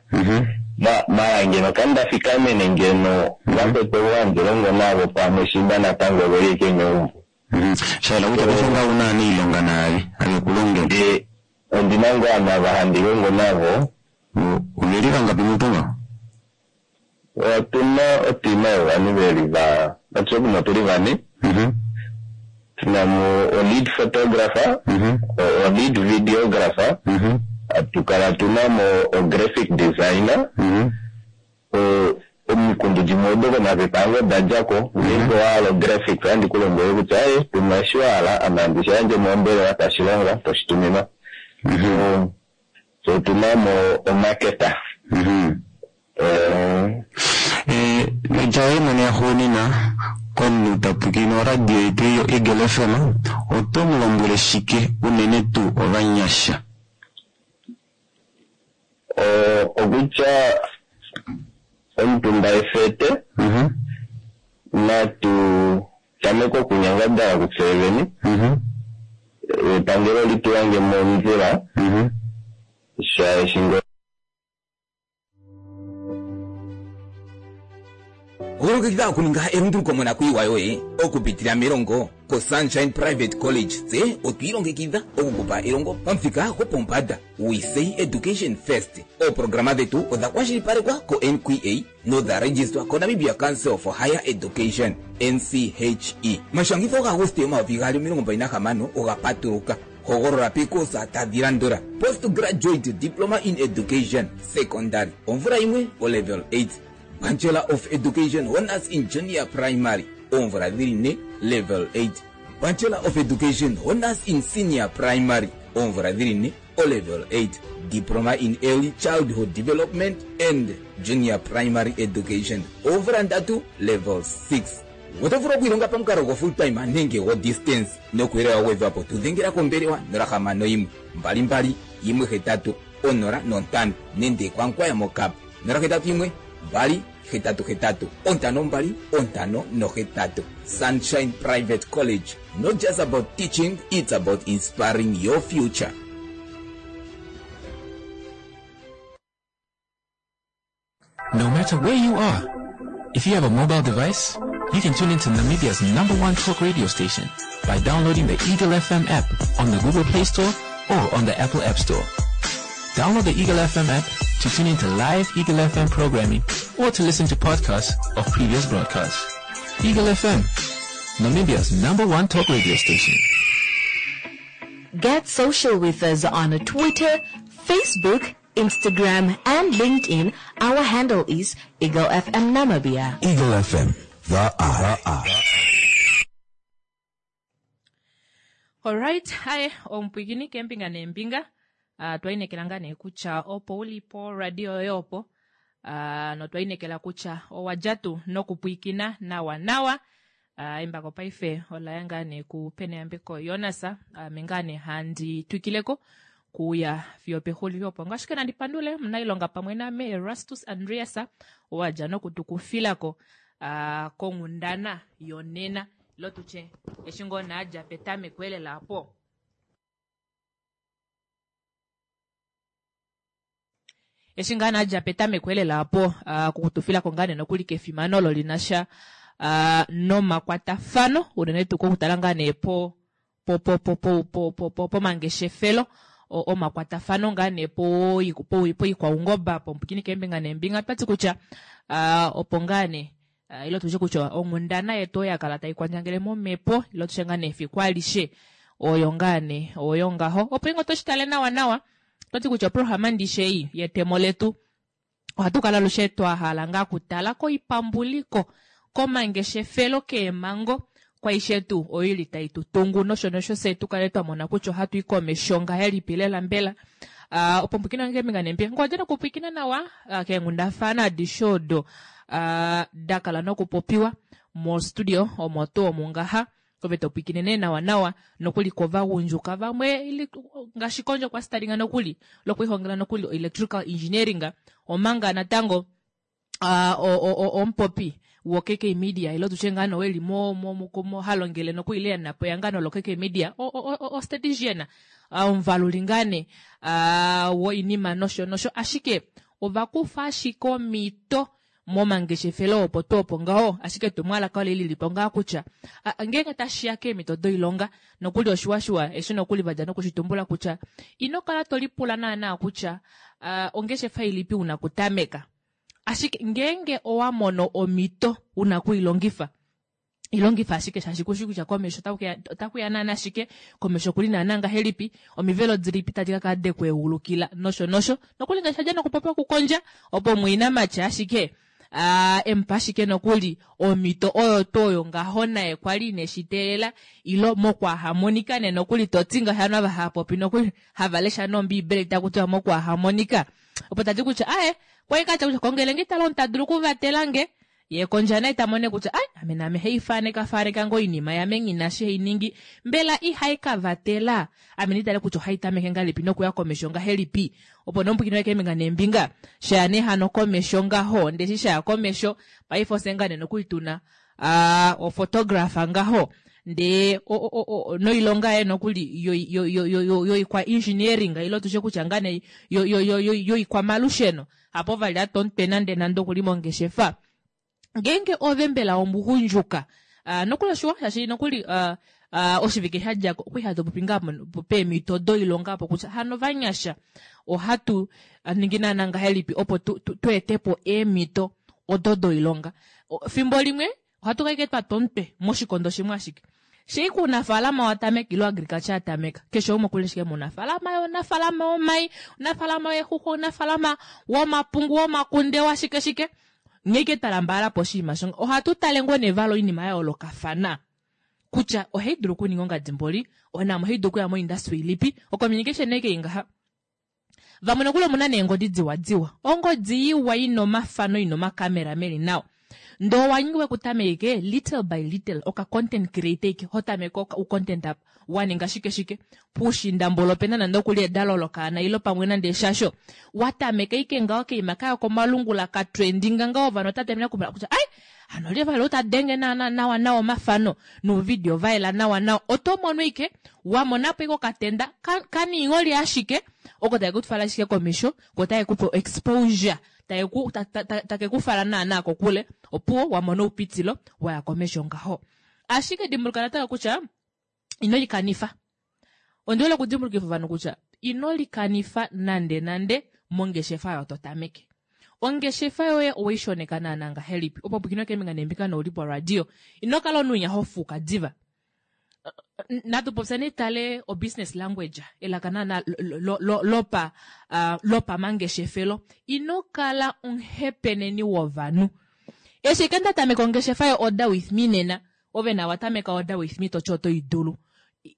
mala ngeno kandafikamene ngeno vakwetu ovo handi longo navo pamwe shimba natango oveli ike meumbo. Shaela kutya paife ngaho una aniilonga naave avekulongela. Ondina ngoo ava handi longo navo. Oveli vangapi mutu ngaho? Otuna otima yovanhu veli va natye tuli vane tuna mo o lead photographer o lead videographer atukala tuna mo o graphic designer omikundu dimwe odo komapepa ange odadjako ngeenge owahala ographic ohandi kulombwele kutya aye tuma eshi wahala ame handi shiyandje mombelewa tashilonga toshituminwa. So otuna mo omarketer. Noitya yoye mwene yaxuunina komunhu tapwilikine oradio yetu yo Eagle F M oto mulombwele shike unene tuu ovanyasha? Okutya omutumba efete natu tameke okunyangadala kufye vene epangelo litulange mondjila shaashi ngo Olongekidha okuninga elunduluko monakuyiwa yoye okupitila melongo koSunshine Private College tse otwiilongekidha okukupa elongo pamuthika gopombanda. We say education first. Ooprograma dhetu odha kwashilipalekwa ko-N Q A nodha registwa koNamibia Council for Higher Education, N C H E. Mashangitho gaAguste omayovi gaali omilongo mbali nahamano oga patuluka. Hogolola pikosa tadhi landula: postgraduate diploma in education secondary omvula yimwe o level eight, Bachelor of Education Honors in Junior Primary oomvula dhili ne level eight, Bachelor of Education Honors in Senior Primary oomvula dhili ne o level eight, Diploma in Early Childhood Development and Junior Primary Education oomvula ndatu level six. Oto vulu okwiilonga pamukalo go full time nenge go distance nokuyelela wa gwedhwa po tudhengela kombelewa nola hamano yimwe mbali mbali yimwe hetatu onola nontano nenge kwankwaya mokapa nola hetatu yimwe mbali hetatu hetatu ontano mbali ontano nohetatu. Sunshine Private College, not just about teaching, it's about inspiring your future. No matter where you are, if you have a mobile device, you can tune into Namibia's number one talk radio station by downloading the Eagle F M app on the Google Play Store or on the Apple App Store. Download the Eagle F M app to tune into live Eagle F M programming or to listen to podcasts of previous broadcasts. Eagle F M, Namibia's number one talk radio station. Get social with us on Twitter, Facebook, Instagram, and LinkedIn. Our handle is Eagle F M Namibia. Eagle F M, the eye. All right, hi, omupwikini kembinga nembinga. Uh, twainekela nga nee kutya opo ulipo radio yoye opo. Uh, notwainekela kutya owadja tuu nokupwikina nawa nawa. Uh, embako paife olaya ngaa nee ku Peneyambeko Jonas. Ame ngaa nee handi twikileko kuya fiyo pexulilo opo. Ngaashi nandi pandule munailonga pamwe name Erastus Andreas owadja nokutukufilako, uh, konghundana yonena lotutye eshi ngoo naadja petameko elela apo. Eshi ngaa naadja petameko elela apo, uh, kukutufilako ngaa nee nokuli kefimano olo linasha, uh, nomakwatafano unene tuu kokutala ngaa nee po, po, po, po, po, po, po, po, pomangeshefelo, o-, omakwatafano ngaa nee po, po, po ikwaungoba, po mpwikini kembinga nembinga. Twati kutya, uh, opo ngaa nee, uh, ilo tuje kutya onghundana yetu oyo ya kala tai kwandjangele momhepo, ilo tuje ngaa nee efiku alishe oyo ngaa nee, oyo ngaho. Opo ingo toshitale nawa nawa, twati kutya oprograma ndishe ei yetemo letu ohatu kala alushe twa hala ngaa kutala koipambuliko, komangeshefelo, keemango, kwaishe tuu oyo ili tai tu tungu nosho nosho se tu kale twa mona kutya ohatu i komesho ngahelipi lela mbela. Ah, opo mpwikina nge mbinga nembinga. Ngoja nokupwikina nawa, ah, keenghundafana adishe odo, ah, da kala nokupopiwa mo studio omo tuu omu ngaha. Ove to pwikine nee nawa nawa nokuli kovagundjuka vamwe ili ngaashi kondje kwa staringa nokuli lokuihongela nokuli electrical engineering omanga natango, ah, o, o, o, omupopi wo K K Media ilo tutye ngaa no weli mo, mo, mo, mo halongele nokuli ile napo yangano lo K K Media o, o, o, o statistician, ah, omuvaluli ngane, ah, wo inima nosho nosho ashike ovakufa ashike omito momangeshefelo opo tuu opo ngaho ashike tumwalaka ole lilipo ngaa kutya, a, ngeenge tashiya keemhito doilonga nokuli oshiwashiwa eshi nokuli vadja nokushitumbula kutya ino kala to lipula naana kutya, a, ongeshefa ilipi una kutameka ashike ngeenge owa mono omito una kuilongifa ilongifa ashike shaashi kushi kutya komesho otaku ya, otaku ya naana ashike komesho kuli naana ngahelipi omivelo dilipi tadi ka kala dekweulukila nosho nosho nokuli ngaashi adja nokupopya kukondja opo mwinamatya ashike, ah, empa ashike nokuli omito oyo tuu oyo ngaho naye kwali ineshiteelela ilo mokwahamonika ne nokuli toti ngaho ava hava popi nokuli hava lesha nombiibeli taku tiwa mokwahamonika opo tati kutya ae kwai katya kutya kongele nge tala onta dulu kuvatela nge ye kondja naye ta mone kutya ai ame name hei faneka faneka ngo inima yame ngina shi hei ningi mbela ihai ka vatela ame nitale kutya ohai tameke ngahelipi nokuya komesho ngahelipi opo nomupwikini wake mbinga nembinga shaya ne hano komesho ngaho ndeshi shaya komesho paife osengane nokuituna, ah, o photographer ngaho nde o, o, o, o, noilonga ye nokuli yo, yo, yo, yo, yo, yo ikwa engineering ilo tushe kutya ngane yo, yo, yo, yo, yo ikwa malusheno hapo vali atomutwe nande nande okuli mongeshefa ngeenge ove mbela omuhundjuka, ah, nokuli oshiwa shaashi nokuli, ah, ah, oshivike sha dja ko, okwi hatu popi ngaa mo-, peemhito doilonga apo kutya hano vanyasha ohatu ningi naana ngahelipi opo tu, tu, tu ete po eemhito odo doilonga. O, fimbo limwe ohatu ka twa tomutwe moshikondo shimwe ashike shei kuunafaalama wa tameka ilo agriculture ya tameka keshe umwe okuli ashike muunafaalama, unafaalama womai, unafaalama weexuxwa, unafaalama womapungu, womakunde, washike shike ngeke tala mbala po oshinima shonga ohatu tale ngoo nevalo oinima ya yoolokafana kutya ohai dulu okuninga ongadimboli onamo ohai dulu okuya mo-industry ilipi o-communication eke ingaha vamwe nokuli omuna neengodi diwa diwa ongodi iwa ina omafano ina omakamera meli nawa Ndoo wanyiwe kutameke little by little oka content creator ike hotameke oka u content up waninga shike shike puushinda mbolo opena nande okuli edalo lokaana ilo pamwe nande eshasho watameka ike ngaho keima kaya komalungula ka trendinga ngaho ovanhu otatameka kumona kutya ai hano lye vali otadenge naana nawa nawa omafano nouvidio vaela nawa nawa oto mono ike wamonapo ike okatenda ka- kaniingholi ashike oko take kutwala ashike komesho ko take kupe exposure take ta- ta- ta- take kufala naana kokule opuwo wamona oupitilo waya komesho ngaho ashike dimbuluka natango kutya ino likanifa ondihole okudimbulukifa ovanhu kutya ino likanifa nande nande mongeshefa oyo to tameke ongeshefa yoye oweishoneka naana ngahelipi opo pwikino keembinga neembinga nouli poradio ino kala omunhu ho fuuka diva natu popya netale o business language elaka naana lo- lo- lopa uh, lopamangeshefelo ino kala omuhepeneni wovanhu eshi ike ndatameka ongeshefa yo order with me nena ove na watameka order with me toti oto idulu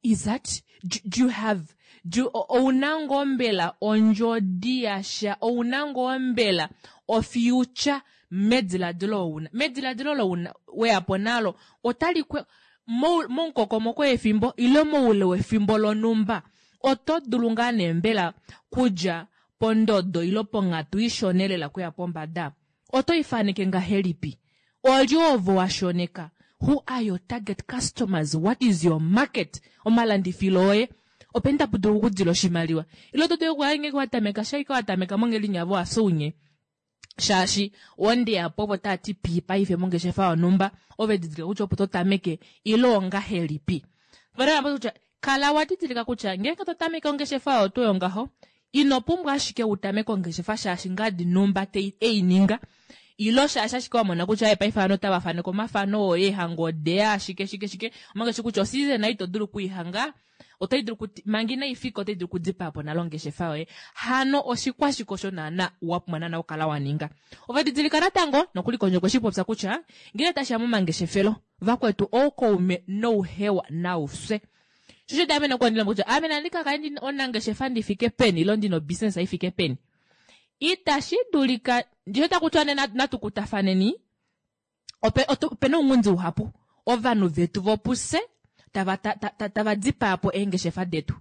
is that do, do you have do ouna ngoo mbela ondjodi yasha ouna ngoo mbela ofuture mediladilo ouna mediladilo louna weyapo nalo otali kwe mou- momukokomoko wefimbo ile moule wefimbo lonumba oto dulu ngaa nee mbela kudja pondodo ilo ponghatu ishona lela kuya pombada oto ifaneke ngahelipi olye ovo washoneka who are your target customers what is your market omalandifilo oye openi tapu dulu okudila oshimaliwa ile oto dulu okuya ngenge watameka shaike watameka mongelinyavo wasounye shaashi ondeyapo ovo taati pii paife mongeshefa yonhumba ove didilika kutya opo totameke ile ongahelipi Vana kutya kala wa didilika kutya ngeenge to tameke ongeshefa oyo tuu yongaho ino pumbwa ashike wu tameke ongeshefa shaashi ngadi numba tei eininga ilo shaashi ashike wamona kutya eh, paife ovanhu otava faneke omafano oye ehango odeya ashike shike shike omanga shi kutya oseason ei ito dulu okuihanga otai dulu kuti manga inaifika otai dulu okudipaa po nale ongeshefa yoye hano oshikwashike osho naana wa pumbwa naana okukala wa ninga ove didilika natango nokuli kondje okwe shi popya kutya ngele tashiya momangeshefelo vakwetu oukaume nouhewa naufye shosho daamene okuandila kutya ame nandi kakale ndi onangeshefa ndi fike peni ilo ndina obusiness ifike peni itashi dulika ndisho takutiwa nee natu kutafaneni ope otu- opena ounghundi uhapu ovanhu vetu vopuse tava ta- ta- ta- tava dipaa po eengeshefa detu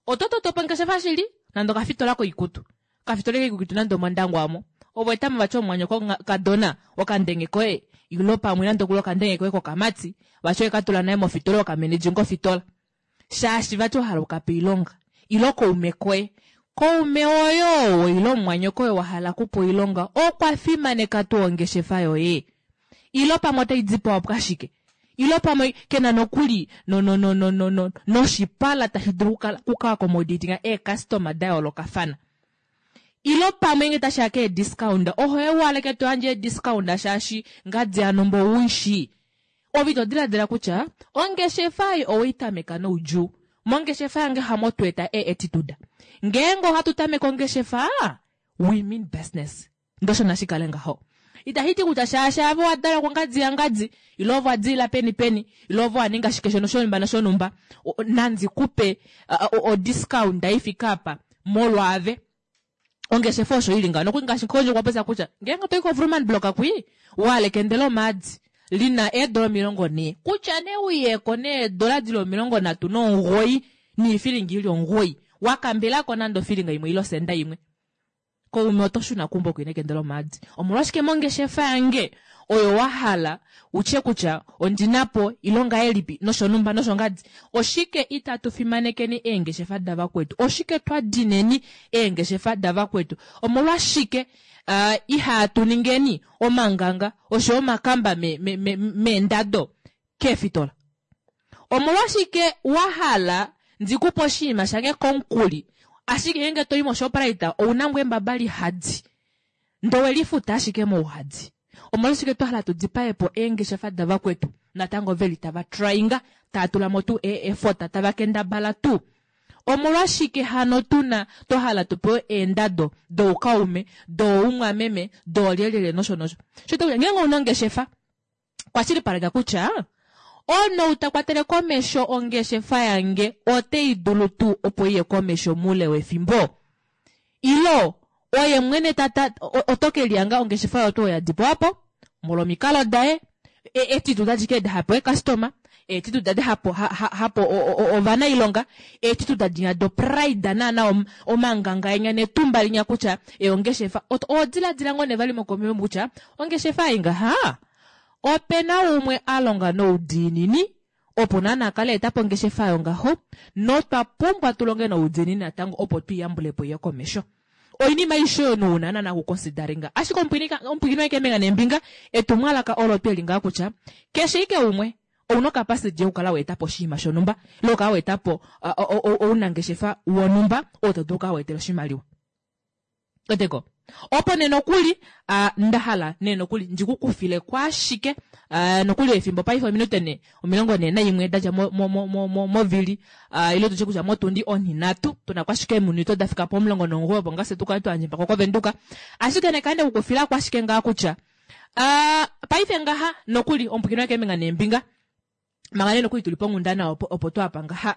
oto toto po ongeshefa shili nande okafitola koikutu okafitola koikutu nande omondangwa omo ovo etamo vati omumwanyoko kadona okandenge koye ilo pamwe nande okuli okandenge koye kokamati vati oye naye mofitola okamenedjinga ofitola shaashi vati wahala ukape oilonga ilo koume koye koume oyo ilo omumwanyoko oyo wahala kupa oilonga okwa fimaneka tuu ongeshefa yoye ilo pamwe otai dipawa po ashike ilo pamwe kena nokuli no no no no no no noshipala tashi dulu okukala- okuka-accommodatinga eecustoma da yoolokafana ilo pamwe nge tashiya keediscount oho ewaleke to yandje eediscount shaashi ngadi anombo ouishi ove ito diladila kutya ongeshefa ei oweitameka noudjuu mongeshefa yange hamo tweeta e-attitude ngeenge ohatu tameke ongeshefa we mean business ndosho nashikale ngaho itahiti kutya shaashi ave wadalwa kongadi yangadi ilo ove wadilila peni peni ilo ove waninga shike shono shonumba noshonumba O- nandi kupe odiscount ifika apa molwaave ongeshefa osho ili ngaho nokuli ngaashi kondje okwa popya kutya ngeenge toyi koVruman block kwi walekendela omaadi lina eedola omilongo nhee kutya nee uyeko needola dili omilongo nhatu nomugoyi niifilingi ili omugoyi wakambelako nande ofilinga imwe ile osenda imwe koume oto shuna kumbo kwine kendela omaadi omolwashike mongeshefa yange oyo wahala utye kutya ondinapo ilonga elipi noshonumba noshongadi oshike itatu fimanekeni eengeshefa davakwetu oshike twa dineni eengeshefa davakwetu omolwashike uh, ihatu ningeni omanganga osho omakamba meendado me, me, meendado keefitola omolwashike wahala ndikupe oshinima shange komukuli ashike ngenge toyi moshoprite ouna ngoo embaba lihadi ndee owelifuta ashike mouhadi omolwashike twahala tu dipaepo eengeshefa davakwetu natango veli tava tryinga tava tulamo tuu e-effort tava kendabala tuu omolwashike hano tuna twahala tupewe eendado doukaume doumwameme doolyelyelye nosho nosho sho ngenge ouna ongeshefa kwashilipaleka kutya omunhu ta kwatele komesho ongeshefa yange otei dulu tuu opo iye komesho muule wefimbo ilo oye mwene tata oto ke liyanga ongeshefa yotu oya dipawapo Molwomikalo daye, attitude adike edi hapo ecustomer, attitude adi hapo hapo ovanailonga, attitude adinya do pride naana omanganga enya netumba linya kutya ongeshefa odiladila ngoo nevali mokomio kutya ongeshefa ei ngaha opena umwe a longa noudiinini opo naana akale etapo ongeshefa yongaho notwa pumbwa tulonge noudiinini natango opo tuiyambulepo iye komesho. Oinima aishe oyo nouna naana kuconsideringa ashike omupwilikini wakemenga nembinga etumwalaka olo tweli ngaa kutya keshe ike umwe ouna capacity yokukala weetapo oshinima shonumba ile okukala weetapo ounangeshefa wonumba oo to dulu okukala weetela oshimaliwa. Oteko opo nee nokuli ndahala nee nokuli ndikukufile kwaashike nokuli efimbo paife ominute ne omilongo ne naimwe dadja movili ile tutye kutya motundi onhinhatu tuna kwashike eminute dafika pomulongo nomugoyi opo ngase tukale twayandja mpaka kovenduka ashike nekande kukufila kwashike ngaa kutya paife ngaha nokuli omupwilikini wakemenga nembinga manga nee nokuli tuli ponghundana opo opo twapa ngaha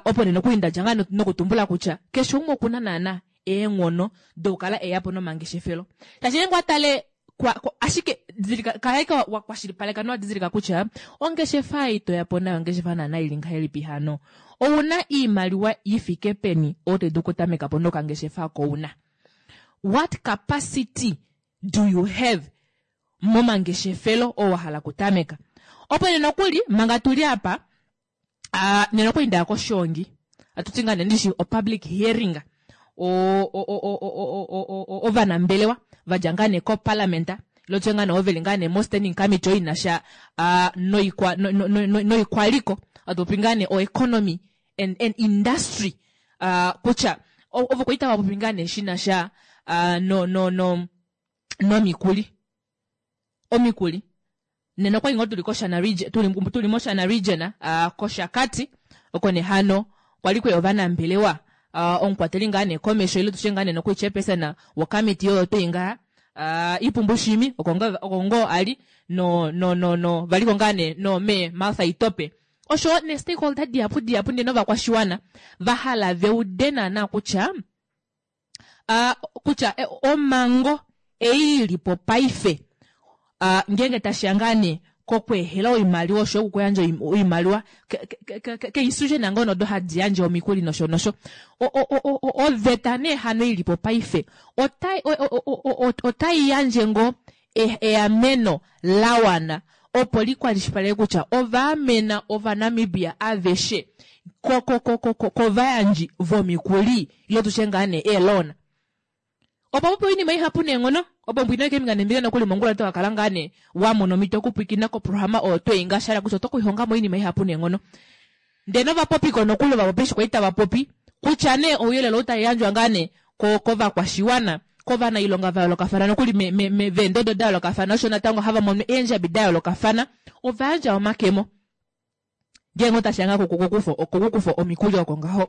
opo nee nokuli ndadja ngaa nokutumbula kutya keshe umwe okuna naana eenghono dokukala eyapo nomangeshefelo. Shaashi ngeenge watale ashike kalaika wakwashilipaleka nowadidilika kutya ongeshefa ei toyapo nayo ongeshefa naana ili ngahelipi hano. Ouna iimaliwa ifike peni oyo to dulu okutamekapo nokangeshefa oko una. What capacity do you have momangeshefelo oo wahala okutameka? Opo nee nokuli manga tuli apa nena nokuli ndaya koshoongi atuti ngaa nee ndishi o public hearing ovanambelewa vadja ngaa nee koparliament ile tutye ngaa nee oveli ngaa nee mo standing committee oyo inasha noikwa noikwaliko atupopi ngaa nee o economy and, and industry kutya ovo kwali tava popi ngaa nee shinasha no no no nomikuli omikuli nena okwali ngoo tuli koshana region tuli tuli moshana region koshakati oko nee hano kwali kweya ovanambelewa omukwateli ngaa nee komesho ile tutye ngaa nee nokuli chairperson wokomiti oyo twei ngaha Ipumbu Shiimi oko ngoo ali no no no no valiko ngaa nee no mee Martha Itope osho ne stakeholder dihapu dihapu ndee novakwashiwana vahala veude naana kutya kutya omhango ei ilipo paife ngeenge tashiya ngaa nee kokweehela oimaliwa osho okuyandja oimaliwa keinstitution ngoo nodo hadi yandje omikuli nosho nosho oveta nee hano ilipo paife otai yandje ngoo eameno lawana opo likwashilipaleke kutya ovaamena ovanamibia aveshe kovayandji vomikuli ile tutye ngaa nee eeloan. Opo popo oinima ihapu neenghono opo mbwina keminga nembinga nokuli mongula to kakala ngaa nee wamona omhito okupwilikina koprograma oyo twei ngaa shala kutya oto kulihongamo oinima ihapu neenghono. Ndee novapopiko nokuli ovapopi eshi kwali tava popi kutya nee ouyelele ou tauyandjwa ngaa nee kovakwashiwana kovanailonga va yoolokafana nokuli veendodo da yoolokafana osho natango hava mono eendjabi da yoolokafana ovayandja omakemo ngeenge otashiya ngaa kokukufa omikuli oko ngaho.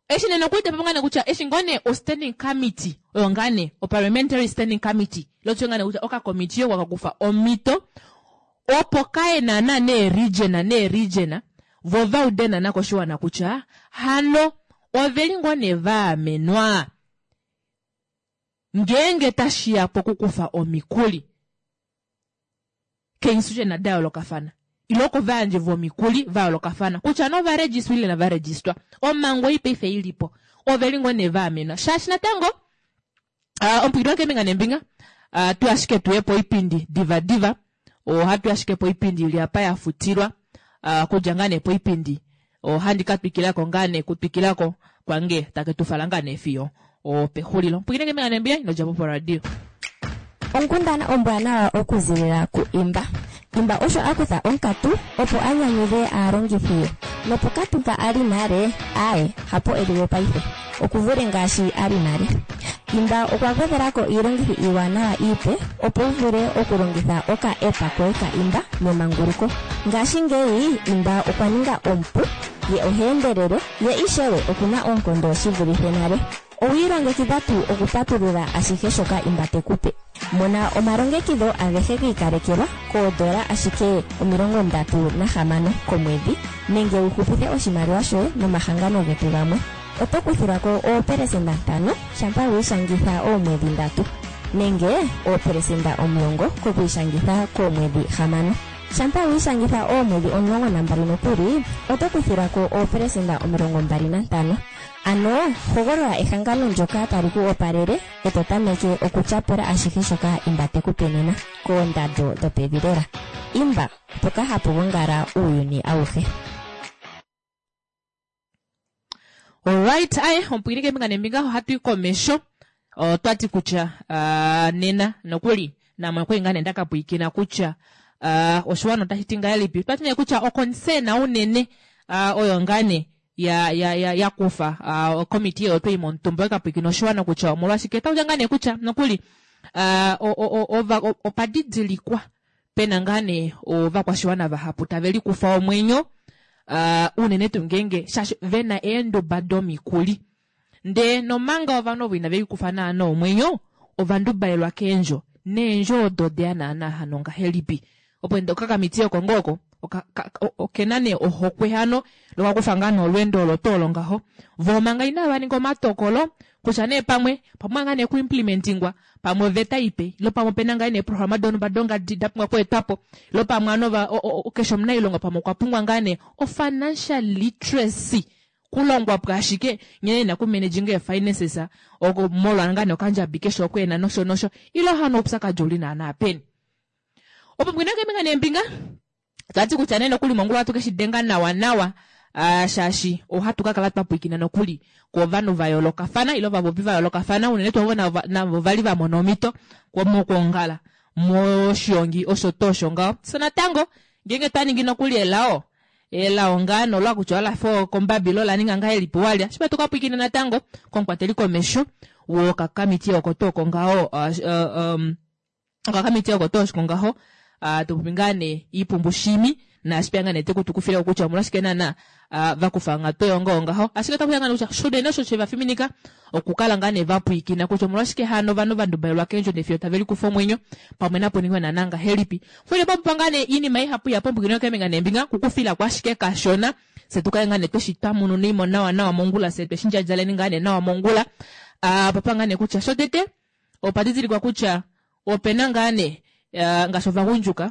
Eshi nena okuitepa ngane kutya eshi ngoo nee o standing committee oyo ngaa nee o parliamentary standing committee lotyo ngane kutya okakomiti oko kakufa omhito opo kaye naana nee region nee region vo vaude naana koshiwana kutya hano oveli ngoo nee vaamenwa ngeenge tashiya pokukufa omikuli keinstitution da yoolokafana ile kovayandji vomikuli va yoolokafana kutya novaregistwa ile inavaregistwa omhango ei paife ilipo oveli ngoo nee vaamenwa shaashi natango omupwilikini wakemenga nembinga tu ashike tuye poipindi diva diva ohatu ashike poipindi ili apa yafutilwa kudja ngaa nee poipindi ohandi katwikilako ngaa nee kutwikilako kwange take tufala ngaa nee fiyo opexulilo. Omupwilikini wakemenga nembinga inodjapo poradio. Onkundana ombwanawa okuzilila ku Imba. Imba osho akutha onkatu opo a nyanyudhe aalongithi ye. Nopokatu mpa ali nale, aye, hapo eliwe paife. Okuvule ngaashi ali nale. Imba okwa gwedhelako iilongithi iiwanawa iipe opo u vule okulongitha oka app koye ka Imba memanguluko. Ngashingeyi Imba okwa ninga omupu, ye oha endelele, ye ishewe okuna oonkondo shi vulithe nale. Owiilongekidha tuu okupatulula ashihe shoka Imba te ku pe. Mona omalongekidho agehe gi ikalekelwa koodola ashike omilongo ndatu nahamano komwedhi nenge wu hupithe oshimaliwa shoye nomahangano getu gamwe. Oto kuthilwa ko oopelesenda ntano shampa wiishangitha oomwedhi ndatu. Nenge oopelesenda omulongo kokwiishangitha koomwedhi hamano. Shampa wi ishangitha oomwedhi omulongo nambali nokuli, oto kuthilwa ko oopelesenda omilongo mbali nantano. Ano hogolola ehangano ndyoka tali ku opalele e to tameke okutyapula ashihe shoka Imba te ku pe nena koondando dhopevi lela. Imba, mpoka hapu gongala uuyuni awuhe. Alright, aye omupwilike kembinga nembinga ohatu yi komesho otwati kutya uh, nena nokuli namwe okwali ngaa nee ndakapwiikina kutya uh, oshiwana otashi ti ngahelipi twati nee kutya oconcern unene uh, oyo ngaa nee ya ya ya ya kufa uh, okomitiye oyo twayi momutumba ekapwikina oshiwana kutya omolwashike tautya ngaa nee kutya nokuli uh, opadidilikwa pena ngaa nee ovakwashiwana vahapu tave likufa omwenyo uh, unene tuu ngeenge shaashi vena eenduba domikuli ndee nomanga ovanhu ovo inave likufa naana omwenyo ovandubalelwa keendjo neendjo odo odeya naana hano ngahelipi opo ende okakamitiye oko ngoo oko okena nee ohokwe hano lokakufa ngaa nee olweendo olo tuu olo ngaho voo manga inava ninga omatokolo kutya nee pamwe pamwe ngaa nee kuimplementingwa pamwe oveta ipe ilo pamwe opena ngaa nee eeprograma donhumba dongadi da pumbwa okweetwapo ilo pamwe ano keshe omunailonga pamwe okwa pumbwa ngaa nee o-financial literacy kulongwa po ashike nghene ena kumanaging ee-finances oko molwa ngaa nee okandjabi keshe oko ena nosho nosho ilo hano oupyakadi ouli naana peni opo mbwina keembinga neembinga twati kutya nee nokuli mongula ohatu keshi denga nawa nawa uh, shaashi ohatu ka kala twa pwiikina nokuli kovanhu va yoolokafana ile ovapopi va yoolokafana unene tuu ovo navo vali va mona omhito mokwoongala moshiongi osho tuu osho ngaho. So natango ngeenge twa ningi nokuli elao elao ngaa nolwa kutya ola fa okombabi lo la ninga ngahelipi walya shipa tuka pwiikina natango komukwateli komesho wokakamitiye oko tuu oko ngaho uh, uh, um, okakamitiye oko tuu oko ngaho uh, tupopi ngaa nee Iipumbu Shiimi naashipeya ngaa nee tekutukufile kutya omolwashike naana uh, vakufa onghatu oyo ngoo ngaho ashike otakuya ngaa nee kutya shunene osho shevafiminika okukala ngaa nee vapwiikina kutya omolwashike hano ovanhu vandubalelwa keendjo nefiyo tave likufa omwenyo pamwe napo ningwe naana ngahelipi fwile papupa ngaa nee iinima ihapu ya pombukino keembinga neembinga kukufilako ashike kashona se tukale ngaa nee tweshi tamununimo nawa nawa mongula se tweshi ndjadjaleni ngaa nee nawa mongula uh, papa ngaa nee kutya shotete opa didilikwa kutya opena ngaa nee uh, ngaashi ovagundjuka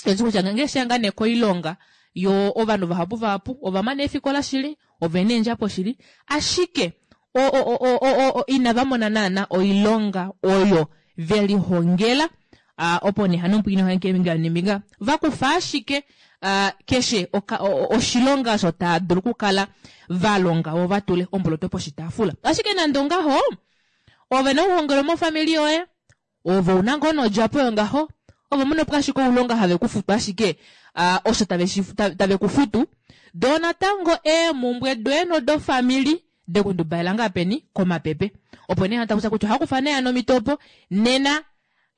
eshi kutya ngeenge sheya ngaa nee koilonga yo ovanhu vahapu vahapu ovamana eefikola shili ovena eendjapo shili ashike o, o, o, o, o, inava mona naana oilonga oyo velihongela uh, opo nee hano omupwiikini wange keembinga neembinga vakufa ashike uh, keshe oka, o, oshilonga osho taa dulu okukala valonga vo vatule omboloto poshitaafula ashike nande ongaho ove na okuhongelwa mofamili yoye ove una ngoo nodjapo yongaho ove muna po ashike oulonga have kufutu ashike uh, osho tave, tave kufutu doo natango eemumbwe doye nodofamili dekundubalela ngaa peni komapepe opo nee hatakusa kutya ohakufa nee hano omitopo nena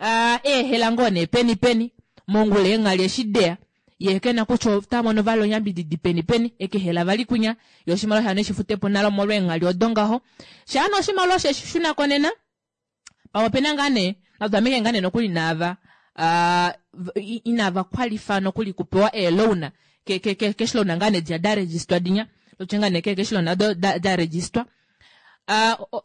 uh, eehela ngoo nee peni peni mongula eenghali eshi deya ye kena kutya ota mono vali onyambididi peni peni ekehela vali kunya yo oshimaliwa shano eshifutepo nalo omolwa eenghali odo ngaho shaano oshimaliwa sheshi shunako nena pamwe opena ngaa nee natutameke ngaa nee nokuli naava uh, inava qualify nokuli kupewa eeloan ke ke ke cash loan ngaa nee diya da register dinya lotye ngaa nee ke cash loan do da, da register uh,